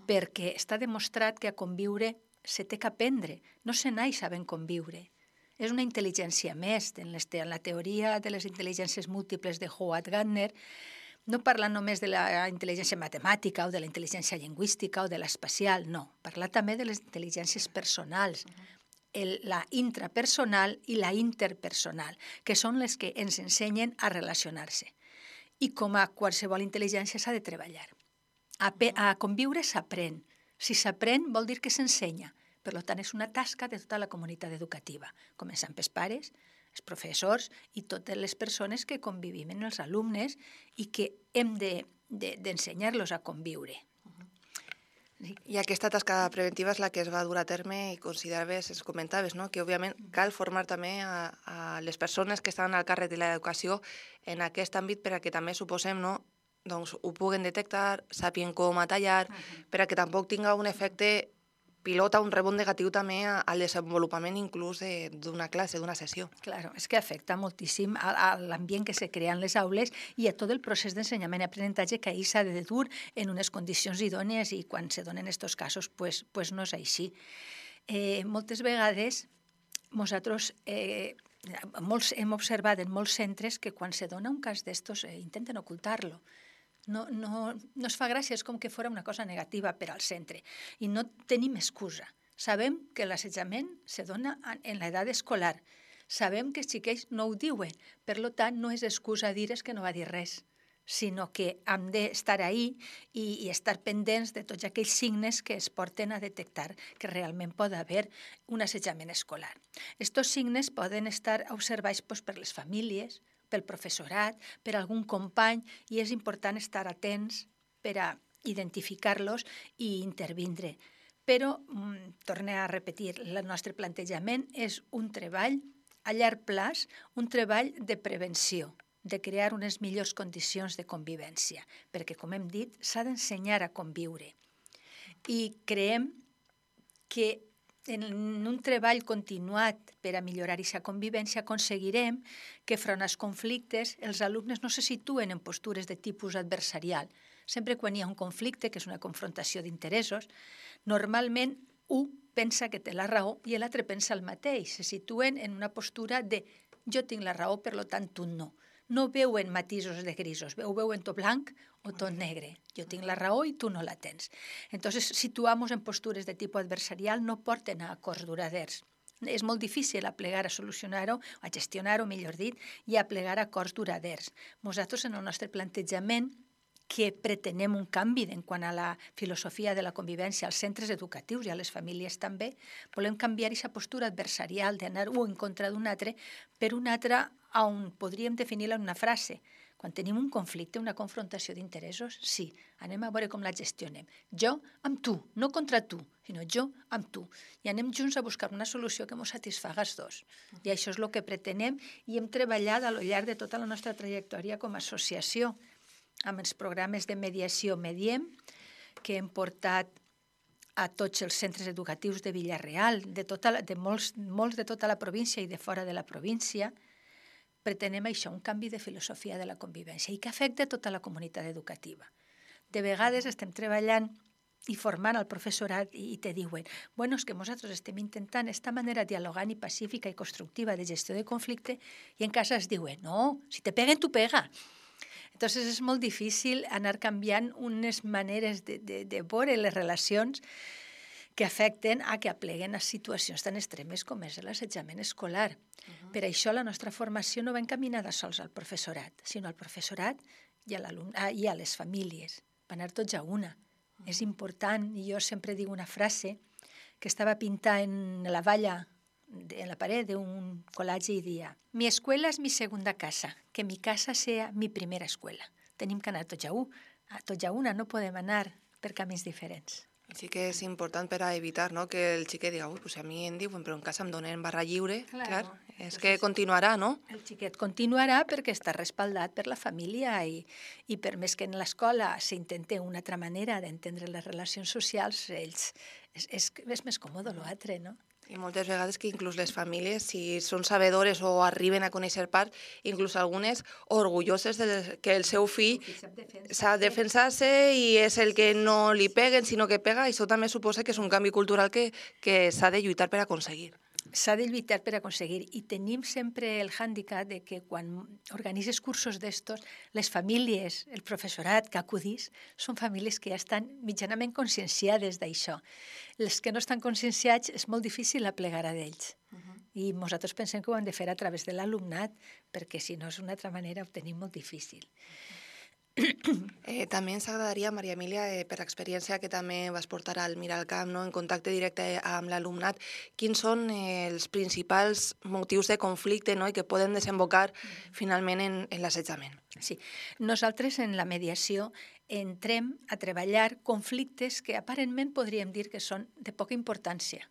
I: perquè està demostrat que a conviure se té que aprendre, no se naix sabent conviure. És una intel·ligència més. En la teoria de les intel·ligències múltiples de Howard Gardner, no parla només de la intel·ligència matemàtica o de la intel·ligència lingüística o de l'espacial, no. Parla també de les intel·ligències personals, la intrapersonal i la interpersonal, que són les que ens ensenyen a relacionar-se. I com a qualsevol intel·ligència s'ha de treballar. A conviure s'aprèn. Si s'aprèn vol dir que s'ensenya. Per tant, és una tasca de tota la comunitat educativa, començant pels pares, els professors i totes les persones que convivim amb els alumnes i que hem d'ensenyar-los a conviure.
H: I aquesta tasca preventiva és la que es va dur a terme i consideraves, es comentaves, no? Que òbviament cal formar també a les persones que estan al càrrec de l'educació en aquest àmbit per a que també suposem, no? Doncs ho puguen detectar, sàpien com a tallar, per a que tampoc tinga un efecte pilota, un rebot negatiu també al desenvolupament inclús d'una classe, d'una sessió.
I: Claro, és que afecta moltíssim a l'ambient que se crea en les aules i a tot el procés d'ensenyament i aprenentatge que ahir s'ha de dur en unes condicions idònies i quan se donen aquests casos pues no és així. Moltes vegades nosaltres hem observat en molts centres que quan se dona un cas d'estos intenten ocultar-lo. No es fa gràcia, és com que fos una cosa negativa per al centre. I no tenim excusa. Sabem que l'assetjament se dona en l'edat escolar. Sabem que els xiquets no ho diuen. Per tant, no és excusa dir que no va dir res, sinó que hem d'estar ahí i estar pendents de tots aquells signes que es porten a detectar que realment pot haver un assetjament escolar. Estos signes poden estar observats per les famílies, pel professorat, per algun company, i és important estar atents per a identificar-los i intervindre. Però, torno a repetir, el nostre plantejament és un treball a llarg plaç, un treball de prevenció, de crear unes millors condicions de convivència, perquè, com hem dit, s'ha d'ensenyar a conviure. I creiem que en un treball continuat per a millorar aquesta convivència aconseguirem que front als conflictes els alumnes no se situen en postures de tipus adversarial. Sempre quan hi ha un conflicte, que és una confrontació d'interessos, normalment un pensa que té la raó i l'altre pensa el mateix. Se situen en una postura de jo tinc la raó, per tant tu no. No veuen matisos de grisos, ho veuen tot blanc o tot negre. Jo tinc la raó i tu no la tens. Entonces, situamos en postures de tipus adversarial no porten a acords duraders. És molt difícil a plegar, a solucionar-ho, a gestionar-ho, millor dit, i a plegar acords duraders. Nosaltres, en el nostre plantejament, que pretenem un canvi en quant a la filosofia de la convivència als centres educatius i a les famílies també, volem canviar aquesta postura adversarial d'anar un en contra d'un altre per un altre on podríem definir-la en una frase. Quan tenim un conflicte, una confrontació d'interessos, sí, anem a veure com la gestionem. Jo amb tu, no contra tu, sinó jo amb tu. I anem junts a buscar una solució que ens satisfaga els dos. I això és el que pretenem i hem treballat a lo llarg de tota la nostra trajectòria com a associació, amb els programes de mediació Mediem, que hem portat a tots els centres educatius de Vila-real, de molts de tota la província i de fora de la província. Pretenem això, un canvi de filosofia de la convivència i que afecta tota la comunitat educativa. De vegades estem treballant i formant el professorat i te diuen bueno, és que nosaltres estem intentant esta manera dialogant i pacífica i constructiva de gestió de conflicte i en casa es diuen no, si te peguen, tu pega. Entonces és molt difícil anar canviant unes maneres de veure les relacions que afecten a que apleguen a situacions tan extremes com és l'assetjament escolar. Per això la nostra formació no va encaminada sols al professorat, sinó al professorat i a les famílies. Va anar tots a una. És important, i jo sempre dic una frase que estava pintada en la valla, en la pared d'un col·legi i dia mi escuela es mi segunda casa, que mi casa sea mi primera escuela. Tenim que anar tots a una, no podem anar per camins diferents.
H: Sí que és important per a evitar que el xiquet diga pues a mi em diuen però en casa em donen barra lliure, clar, és que continuarà, no?
I: El xiquet continuarà perquè està respaldat per la família i per més que en l'escola s'intente una altra manera d'entendre les relacions socials, és més còmode l'altre, no?
H: I moltes vegades que inclús les famílies, si són sabedores o arriben a conèixer part, inclús algunes orgulloses que el seu fill sap defensar-se i és el que no li peguen, sinó que pega, i això també suposa que és un canvi cultural que s'ha de lluitar per aconseguir.
I: S'ha de lluitar per aconseguir i tenim sempre el hàndicap de que quan organitzes cursos d'estos, les famílies, el professorat que acudís, són famílies que ja estan mitjanament conscienciades d'això. Els que no estan conscienciats és molt difícil aplegar a d'ells. I nosaltres pensem que ho hem de fer a través de l'alumnat, perquè si no és una altra manera ho tenim molt difícil.
H: També ens agradaria, Maria Emília, per experiència que també vas portar al Miralcamp, no? En contacte directe amb l'alumnat, quins són els principals motius de conflicte, no? I que poden desembocar finalment en l'assetjament?
I: Sí, nosaltres en la mediació entrem a treballar conflictes que aparentment podríem dir que són de poca importància,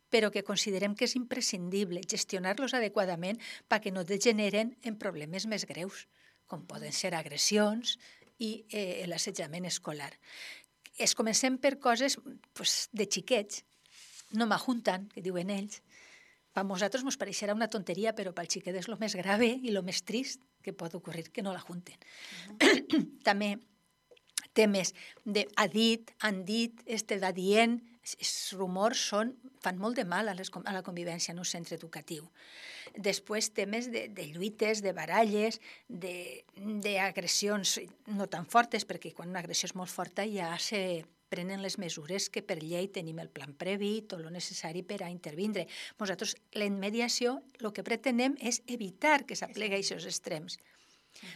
I: però que considerem que és imprescindible gestionar-los adequadament perquè no degeneren en problemes més greus, com poden ser agressions i l'assetjament escolar. Comencem per coses de xiquets, no m'ajunten, que diuen ells. Per nosaltres ens pareixerà una tonteria, però pel xiquet és el més grave i el més trist que pot ocorrir, que no la junten. També temes de ha dit, han dit, va dient, els rumors fan molt de mal a la convivència en un centre educatiu. Després temes de lluites, de baralles, d'agressions no tan fortes, perquè quan una agressió és molt forta ja se prenen les mesures que per llei tenim el plan previ, tot el necessari per a intervindre. Nosaltres, en mediació, el que pretenem és evitar que s'aplegui a aquests extrems.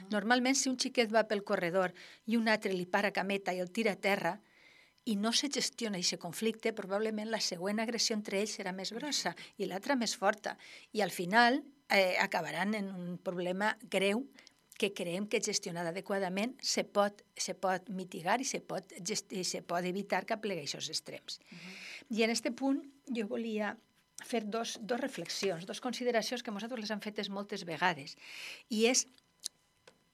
I: Normalment, si un xiquet va pel corredor i un altre li para cameta i el tira a terra, i no se gestiona aquest conflicte, probablement la següent agressió entre ells serà més grossa i l'altra més forta. I al final acabaran en un problema greu que creiem que gestionat adequadament se pot mitigar i se pot evitar que aplegui aquests extrems. I en aquest punt jo volia fer dos reflexions, dos consideracions que nosaltres les hem fetes moltes vegades. I és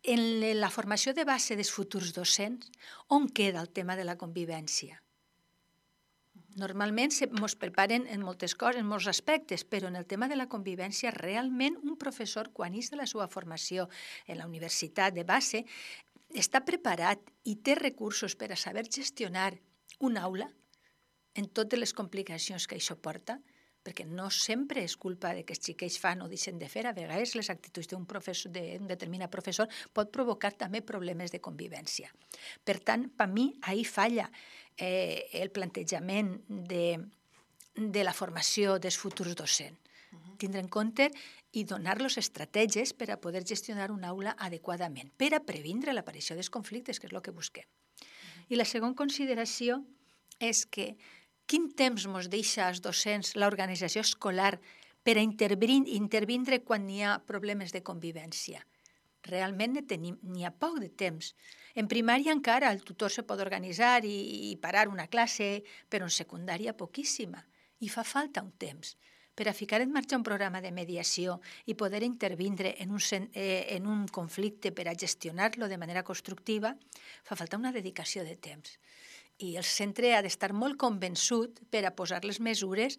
I: en la formació de base dels futurs docents, on queda el tema de la convivència? Normalment ens preparen en moltes coses, en molts aspectes, però en el tema de la convivència, realment un professor, quan és de la seva formació en la universitat de base, està preparat i té recursos per a saber gestionar una aula en totes les complicacions que això porta, perquè no sempre és culpa de que els xiquets fan o deixen de fer. A vegades les actituds d'un determinat professor pot provocar també problemes de convivència. Per tant, per mi, ahí falla el plantejament de la formació dels futurs docents. Tindre en compte i donar-los estratègies per a poder gestionar una aula adequadament, per a previndre l'aparició dels conflictes, que és el que busquem. I la segona consideració és que quin temps ens deixa als docents l'organització escolar per a intervindre quan hi ha problemes de convivència? Realment n'hi ha poc de temps. En primària encara el tutor se pot organitzar i parar una classe, però en secundària poquíssima. I fa falta un temps. Per a ficar en marxa un programa de mediació i poder intervindre en un conflicte per a gestionar-lo de manera constructiva, fa falta una dedicació de temps. I el centre ha d'estar molt convençut per a posar les mesures,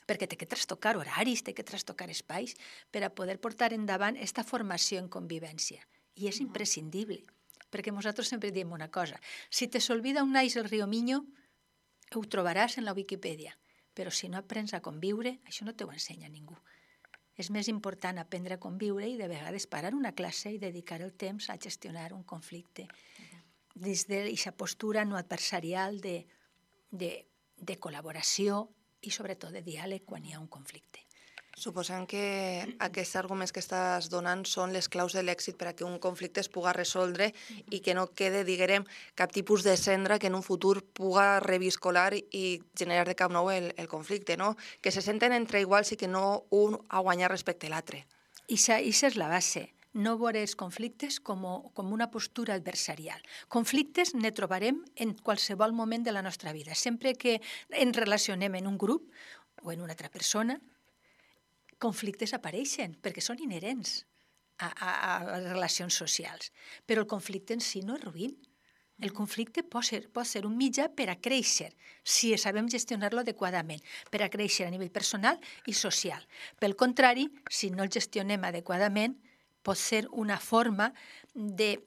I: perquè té que trastocar horaris, té que trastocar espais, per a poder portar endavant aquesta formació en convivència. I és imprescindible, perquè nosaltres sempre diem una cosa, si te s'olvida on naix el riu Miño, ho trobaràs en la Wikipedia, però si no aprens a conviure, això no t'ho ensenya ningú. És més important aprendre a conviure i de vegades parar una classe i dedicar el temps a gestionar un conflicte des d'aquesta postura no adversarial de col·laboració i sobretot de diàleg quan hi ha un conflicte.
H: Suposem que aquests arguments que estàs donant són les claus de l'èxit per a que un conflicte es puga resoldre i que no quede, diguem, cap tipus de cendra que en un futur puga reviscolar i generar de cap nou el conflicte, no? Que se senten entre iguals i que no un ha guanyat respecte a l'altre.
I: I això és la base. No veure els conflictes com una postura adversarial. Conflictes ne trobarem en qualsevol moment de la nostra vida. Sempre que ens relacionem en un grup o en una altra persona, conflictes apareixen perquè són inherents a les relacions socials. Però el conflicte en si no és ruïn. El conflicte pot ser un mitjà per a créixer, si sabem gestionar-lo adequadament, per a créixer a nivell personal i social. Pel contrari, si no el gestionem adequadament, pot ser una forma de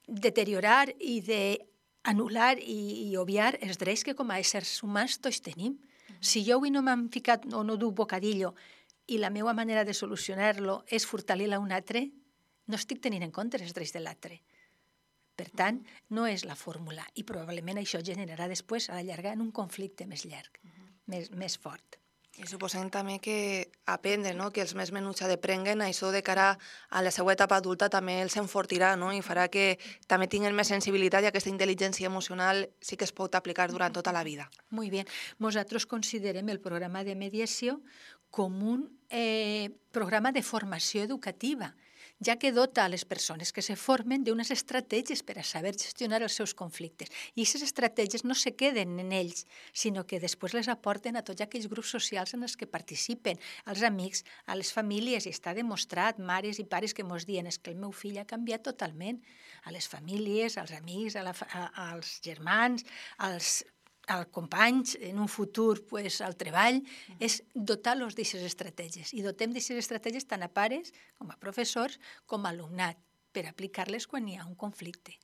I: deteriorar i d'anul·lar i obviar els drets que com a éssers humans tots tenim. Si jo avui no m'han ficat o no duc bocadillo i la meva manera de solucionar-lo és furtar-li a un altre, no estic tenint en compte els drets de l'altre. Per tant, no és la fórmula i probablement això generarà després a la llarga en un conflicte més llarg, més fort.
H: I suposem també que aprendre, no? Que els més menuts aprenguen, això de cara a la seva etapa adulta també els enfortirà, no? I farà que també tinguin més sensibilitat i aquesta intel·ligència emocional sí que es pot aplicar durant tota la vida.
I: Muy bien. Nosaltres considerem el programa de mediació com un programa de formació educativa, ja que dota a les persones que se formen d'unes estratègies per a saber gestionar els seus conflictes. I aquestes estratègies no se queden en ells, sinó que després les aporten a tots aquells grups socials en els que participen, als amics, a les famílies, i està demostrat, mares i pares que mos diuen és que el meu fill ha canviat totalment, a les famílies, als amics, als germans, als companys, en un futur al treball, és dotar-los d'aquestes estratègies. I dotem d'aquestes estratègies tant a pares, com a professors, com a alumnat, per aplicar-les quan hi ha un conflicte.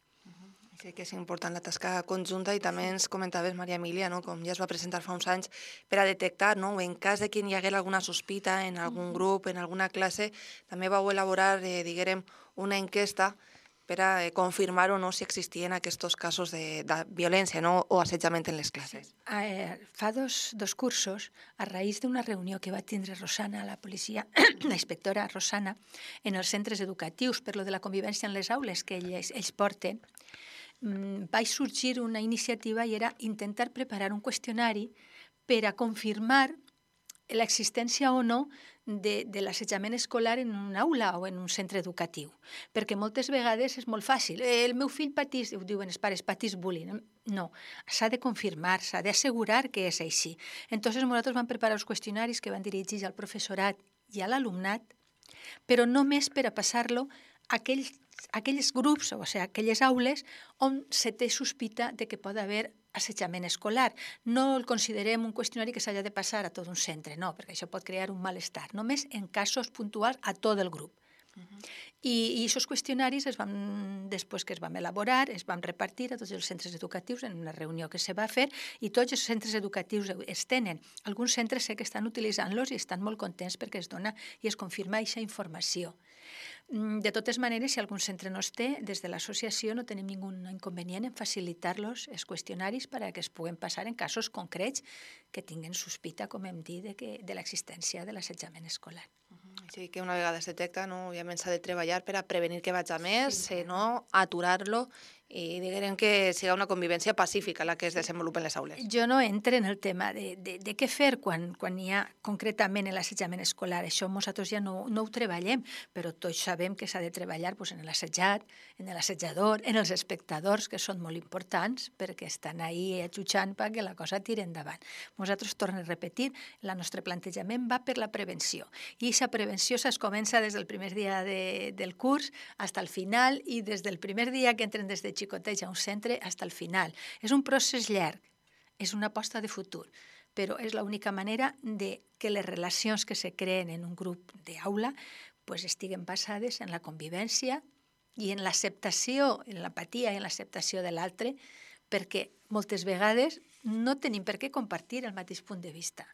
H: Sí que és important la tasca conjunta i també ens comentaves, Maria Emília, no? Com ja es va presentar fa uns anys, per a detectar, no? En cas de que hi hagués alguna sospita en algun grup, en alguna classe, també vau elaborar, diguem, una enquesta per a confirmar o no si existien aquests casos de violència, no? O assetjament en les classes.
I: Fa dos cursos, a raïs d'una reunió que va tindre Rosana, la policia, la inspectora Rosana, en els centres educatius per lo de la convivència en les aules que ells porten, va sorgir una iniciativa i era intentar preparar un qüestionari per a confirmar l'existència o no de l'assetjament escolar en una aula o en un centre educatiu. Perquè moltes vegades és molt fàcil. El meu fill patís, ho diuen els pares, patís bullying. No, s'ha de confirmar, s'ha d'assegurar que és així. Entonces nosaltres vam preparar els qüestionaris que van dirigits al professorat i a l'alumnat, però només per a passar-lo a aquells grups, o sigui, aquelles aules on se té sospita de que pot haver assetjament escolar. No el considerem un qüestionari que s'hagi de passar a tot un centre, no, perquè això pot crear un malestar, només en casos puntuals a tot el grup. I aquests qüestionaris, després que es van elaborar, es van repartir a tots els centres educatius en una reunió que se va fer i tots els centres educatius es tenen. Alguns centres sé que estan utilitzant-los i estan molt contents perquè es dona i es confirma aquesta informació. De totes maneres, si algun centre no es té, des de l'associació no tenim ningú inconvenient en facilitar-los els qüestionaris perquè es puguen passar en casos concrets que tinguen sospita, com hem dit, de l'existència de l'assetjament escolar.
H: Així que una vegada es detecta, no, òbviament s'ha de treballar per a prevenir que vagi a més, no aturar-lo i diguem que siga una convivència pacífica la que es desenvolupa en les aules.
I: Jo no entro en el tema de què fer quan hi ha concretament l'assetjament escolar. Això nosaltres ja no ho treballem, però tots sabem que s'ha de treballar en l'assetjat, en l'assetjador, en els espectadors, que són molt importants perquè estan ahí ajutjant perquè la cosa tiri endavant. Nosaltres, torno a repetir, el nostre plantejament va per la prevenció. I aquesta prevenció es comença des del primer dia del curs fins al final i des del primer dia que entren des de xicotets a un centre fins al final. És un procés llarg, és una aposta de futur, però és l'única manera de que les relacions que se creen en un grup d'aula estiguen basades en la convivència i en l'acceptació, en l'apatia i en l'acceptació de l'altre, perquè moltes vegades no tenim per què compartir el mateix punt de vista.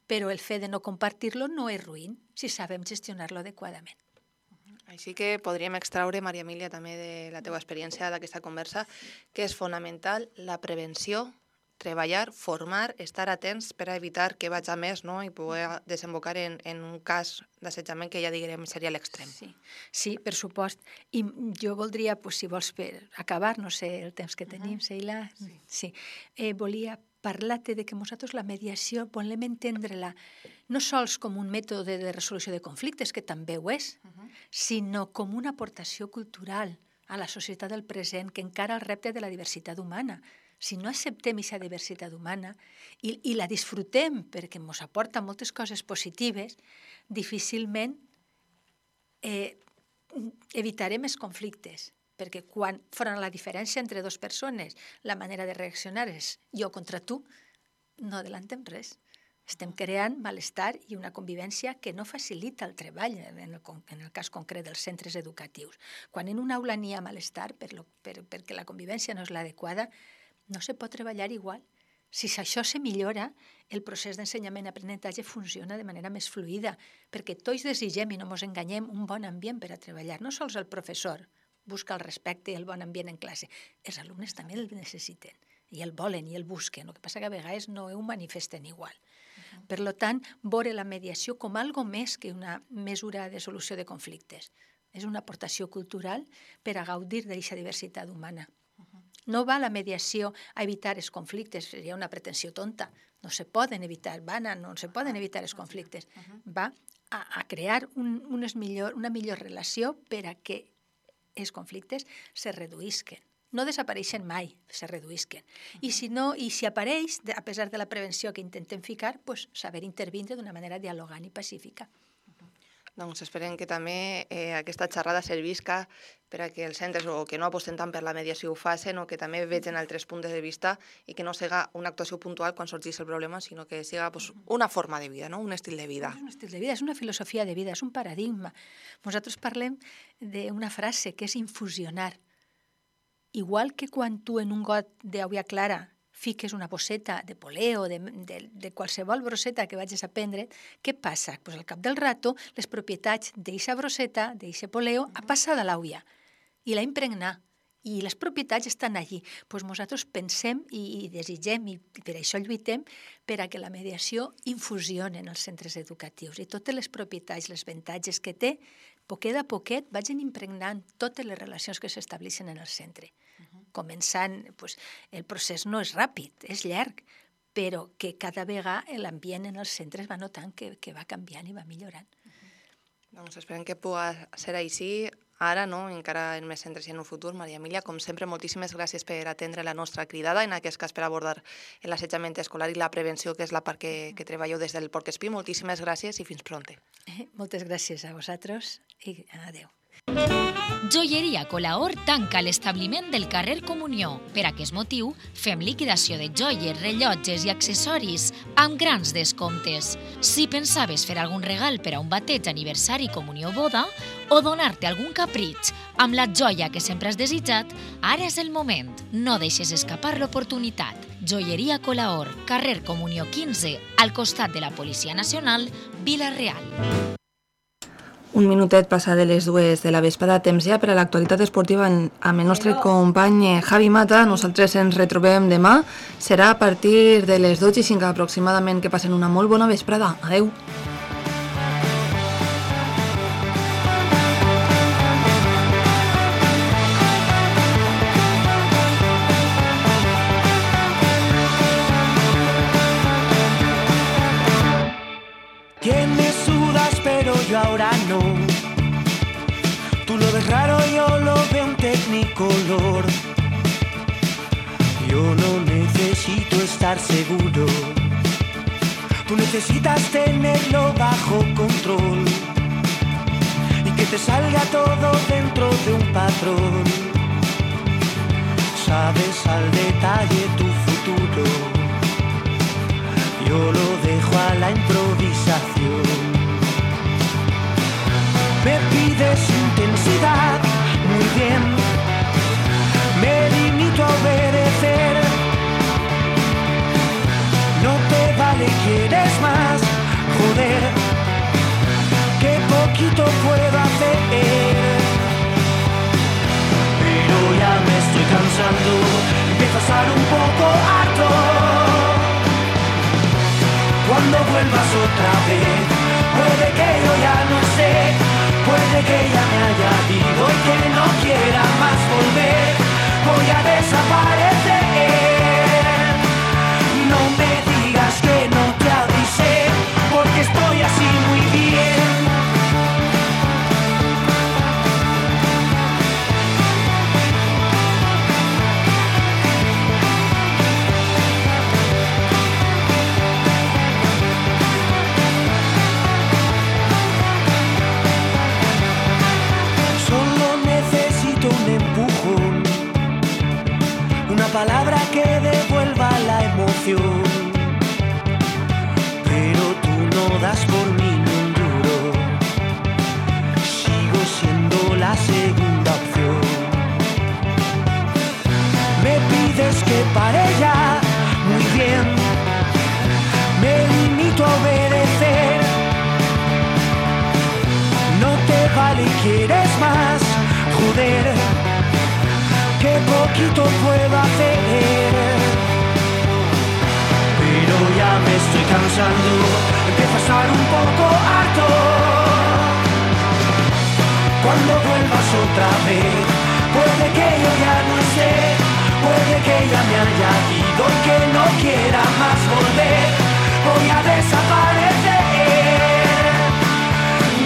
I: Però el fet de no compartir-lo no és ruïn si sabem gestionar-lo adequadament.
H: Així que podríem extraure, Maria Emília, també de la teva experiència d'aquesta conversa, que és fonamental la prevenció, treballar, formar, estar atents per a evitar que vagi a més, no? I poder desembocar en un cas d'assetjament que ja diguem seria l'extrem.
I: Sí, per supost. I jo voldria, si vols per acabar, no sé el temps que tenim, Sheila, volia parlar-te de que nosaltres la mediació volem entendre-la no sols com un mètode de resolució de conflictes, que també ho és, sinó com una aportació cultural a la societat del present que encara el repte de la diversitat humana. Si no acceptem aquesta diversitat humana i la disfrutem perquè ens aporta moltes coses positives, difícilment evitarem els conflictes. Perquè quan faran la diferència entre dues persones, la manera de reaccionar és jo contra tu, no adellantem res. Estem creant malestar i una convivència que no facilita el treball, en el cas concret dels centres educatius. Quan en una aula n'hi ha malestar perquè la convivència no és l'adequada, no se pot treballar igual. Si això se millora, el procés d'ensenyament-aprenentatge funciona de manera més fluida, perquè tots desitgem, i no ens enganyem, un bon ambient per a treballar. No sols el professor busca el respecte i el bon ambient en classe. Els alumnes també el necessiten, i el volen i el busquen. El que passa que a vegades no ho manifesten igual. Per tant, veure la mediació com algo més que una mesura de solució de conflictes. És una aportació cultural per a gaudir d'aquesta diversitat humana. No va la mediació a evitar els conflictes, seria una pretensió tonta. No se poden evitar, no se poden evitar els conflictes. Va a crear una millor relació per a que els conflictes se reduïsquen. No desapareixen mai, se reduïsquen. I si apareix, a pesar de la prevenció que intentem ficar, saber intervindre d'una manera dialogant i pacífica.
H: Doncs esperem que també aquesta xerrada servisca per a que els centres que no aposten tant per la mediació ho facin o que també vegin altres punts de vista i que no siga una actuació puntual quan sorgeix el problema, sinó que siga una forma de vida, un estil de vida.
I: És un estil de vida, és una filosofia de vida, és un paradigma. Nosaltres parlem d'una frase que és infusionar. Igual que quan tu en un got d'aigua clara fiques una bosseta de poleo, de qualsevol brosseta que vagis a prendre, què passa? Al cap del rato, les propietats d'aquesta brosseta, d'aquest poleo, ha passat a l'aigua i l'ha impregnat. I les propietats estan allí. Nosaltres pensem i desitgem, i per això lluitem, per a que la mediació infusioni en els centres educatius i totes les propietats, els avantatges que té, poquet a poquet vagin impregnant totes les relacions que s'estableixen en el centre. Començant, el procés no és ràpid, és llarg, però que cada vegada l'ambient en els centres va notant que va canviant i va millorant.
H: Doncs esperem que pugui ser així ara, encara en més centres i en un futur. Maria Emilia, com sempre, moltíssimes gràcies per atendre la nostra cridada, en aquest cas per abordar l'assetjament escolar i la prevenció, que és la part que treballeu des del Porc Espí. Moltíssimes gràcies i fins pronte.
I: Moltes gràcies a vosaltres i adeu.
A: Joieria Colaor tanca l'establiment del carrer Comunió. Per aquest motiu, fem liquidació de joies, rellotges i accessoris amb grans descomptes. Si pensaves fer algun regal per a un bateig, aniversari, comunió o boda, o donar-te algun capritx amb la joia que sempre has desitjat, ara és el moment. No deixes escapar l'oportunitat. Joieria Colaor, carrer Comunió 15, al costat de la Policia Nacional, Vila-real.
H: Un minutet passa de les 2 de la vesprada, temps ja per a l'actualitat esportiva amb el nostre company Javi Mata. Nosaltres ens retrobem demà. Serà a partir de les 12:05 aproximadament. Que passen una molt bona vesprada. Adeu.
J: Yo ahora no. Tú lo ves raro, yo lo veo un tecnicolor. Yo no necesito estar seguro. Tú necesitas tenerlo bajo control y que te salga todo dentro de un patrón. Sabes al detalle tu futuro. Yo lo dejo a la improvisación. Me pides intensidad, muy bien, me limito a obedecer. No te vale, quieres más, joder, qué poquito puedo hacer. Pero ya me estoy cansando, empiezo a estar un poco harto. Cuando vuelvas otra vez, puede que yo ya no esté. Puede que ya me haya ido y que no quiera más volver. Voy a desaparecer. No me digas que no te avisé, porque estoy así muy bien. Palabra que devuelva la emoción, pero tú no das por mí ni un duro. Sigo siendo la segunda opción. Me pides que pare ya, muy bien, me limito a obedecer. No te vale, quieres más, joder, qué poquito puedo hacer, pero ya me estoy cansando, empiezo a estar un poco harto. Cuando vuelvas otra vez, puede que yo ya no esté, puede que ya me haya ido y que no quiera más volver. Voy a desaparecer.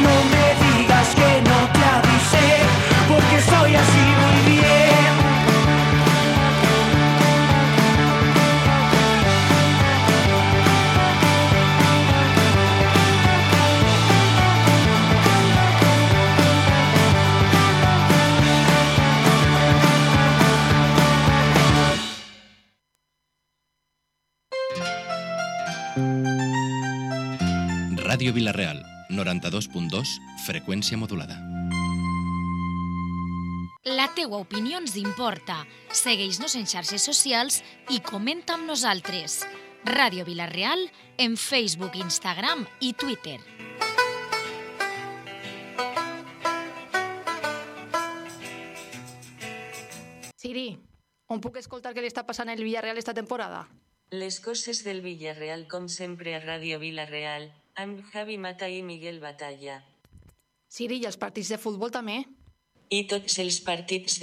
J: No me digas que no te avisé, porque soy así muy bien.
K: Ràdio Vila-real, 92.2, freqüència modulada.
L: La teua opinió ens importa. Segueix-nos en xarxes socials i comenta amb nosaltres. Ràdio Vila-real en Facebook, Instagram i Twitter.
M: Siri, on puc escoltar què li està passant al Villarreal esta temporada?
N: Les coses del Villarreal com sempre a Ràdio Vila-real, amb Javi Mata i Miguel Batalla.
M: Siri, i els partits de futbol també?
N: I tots els partits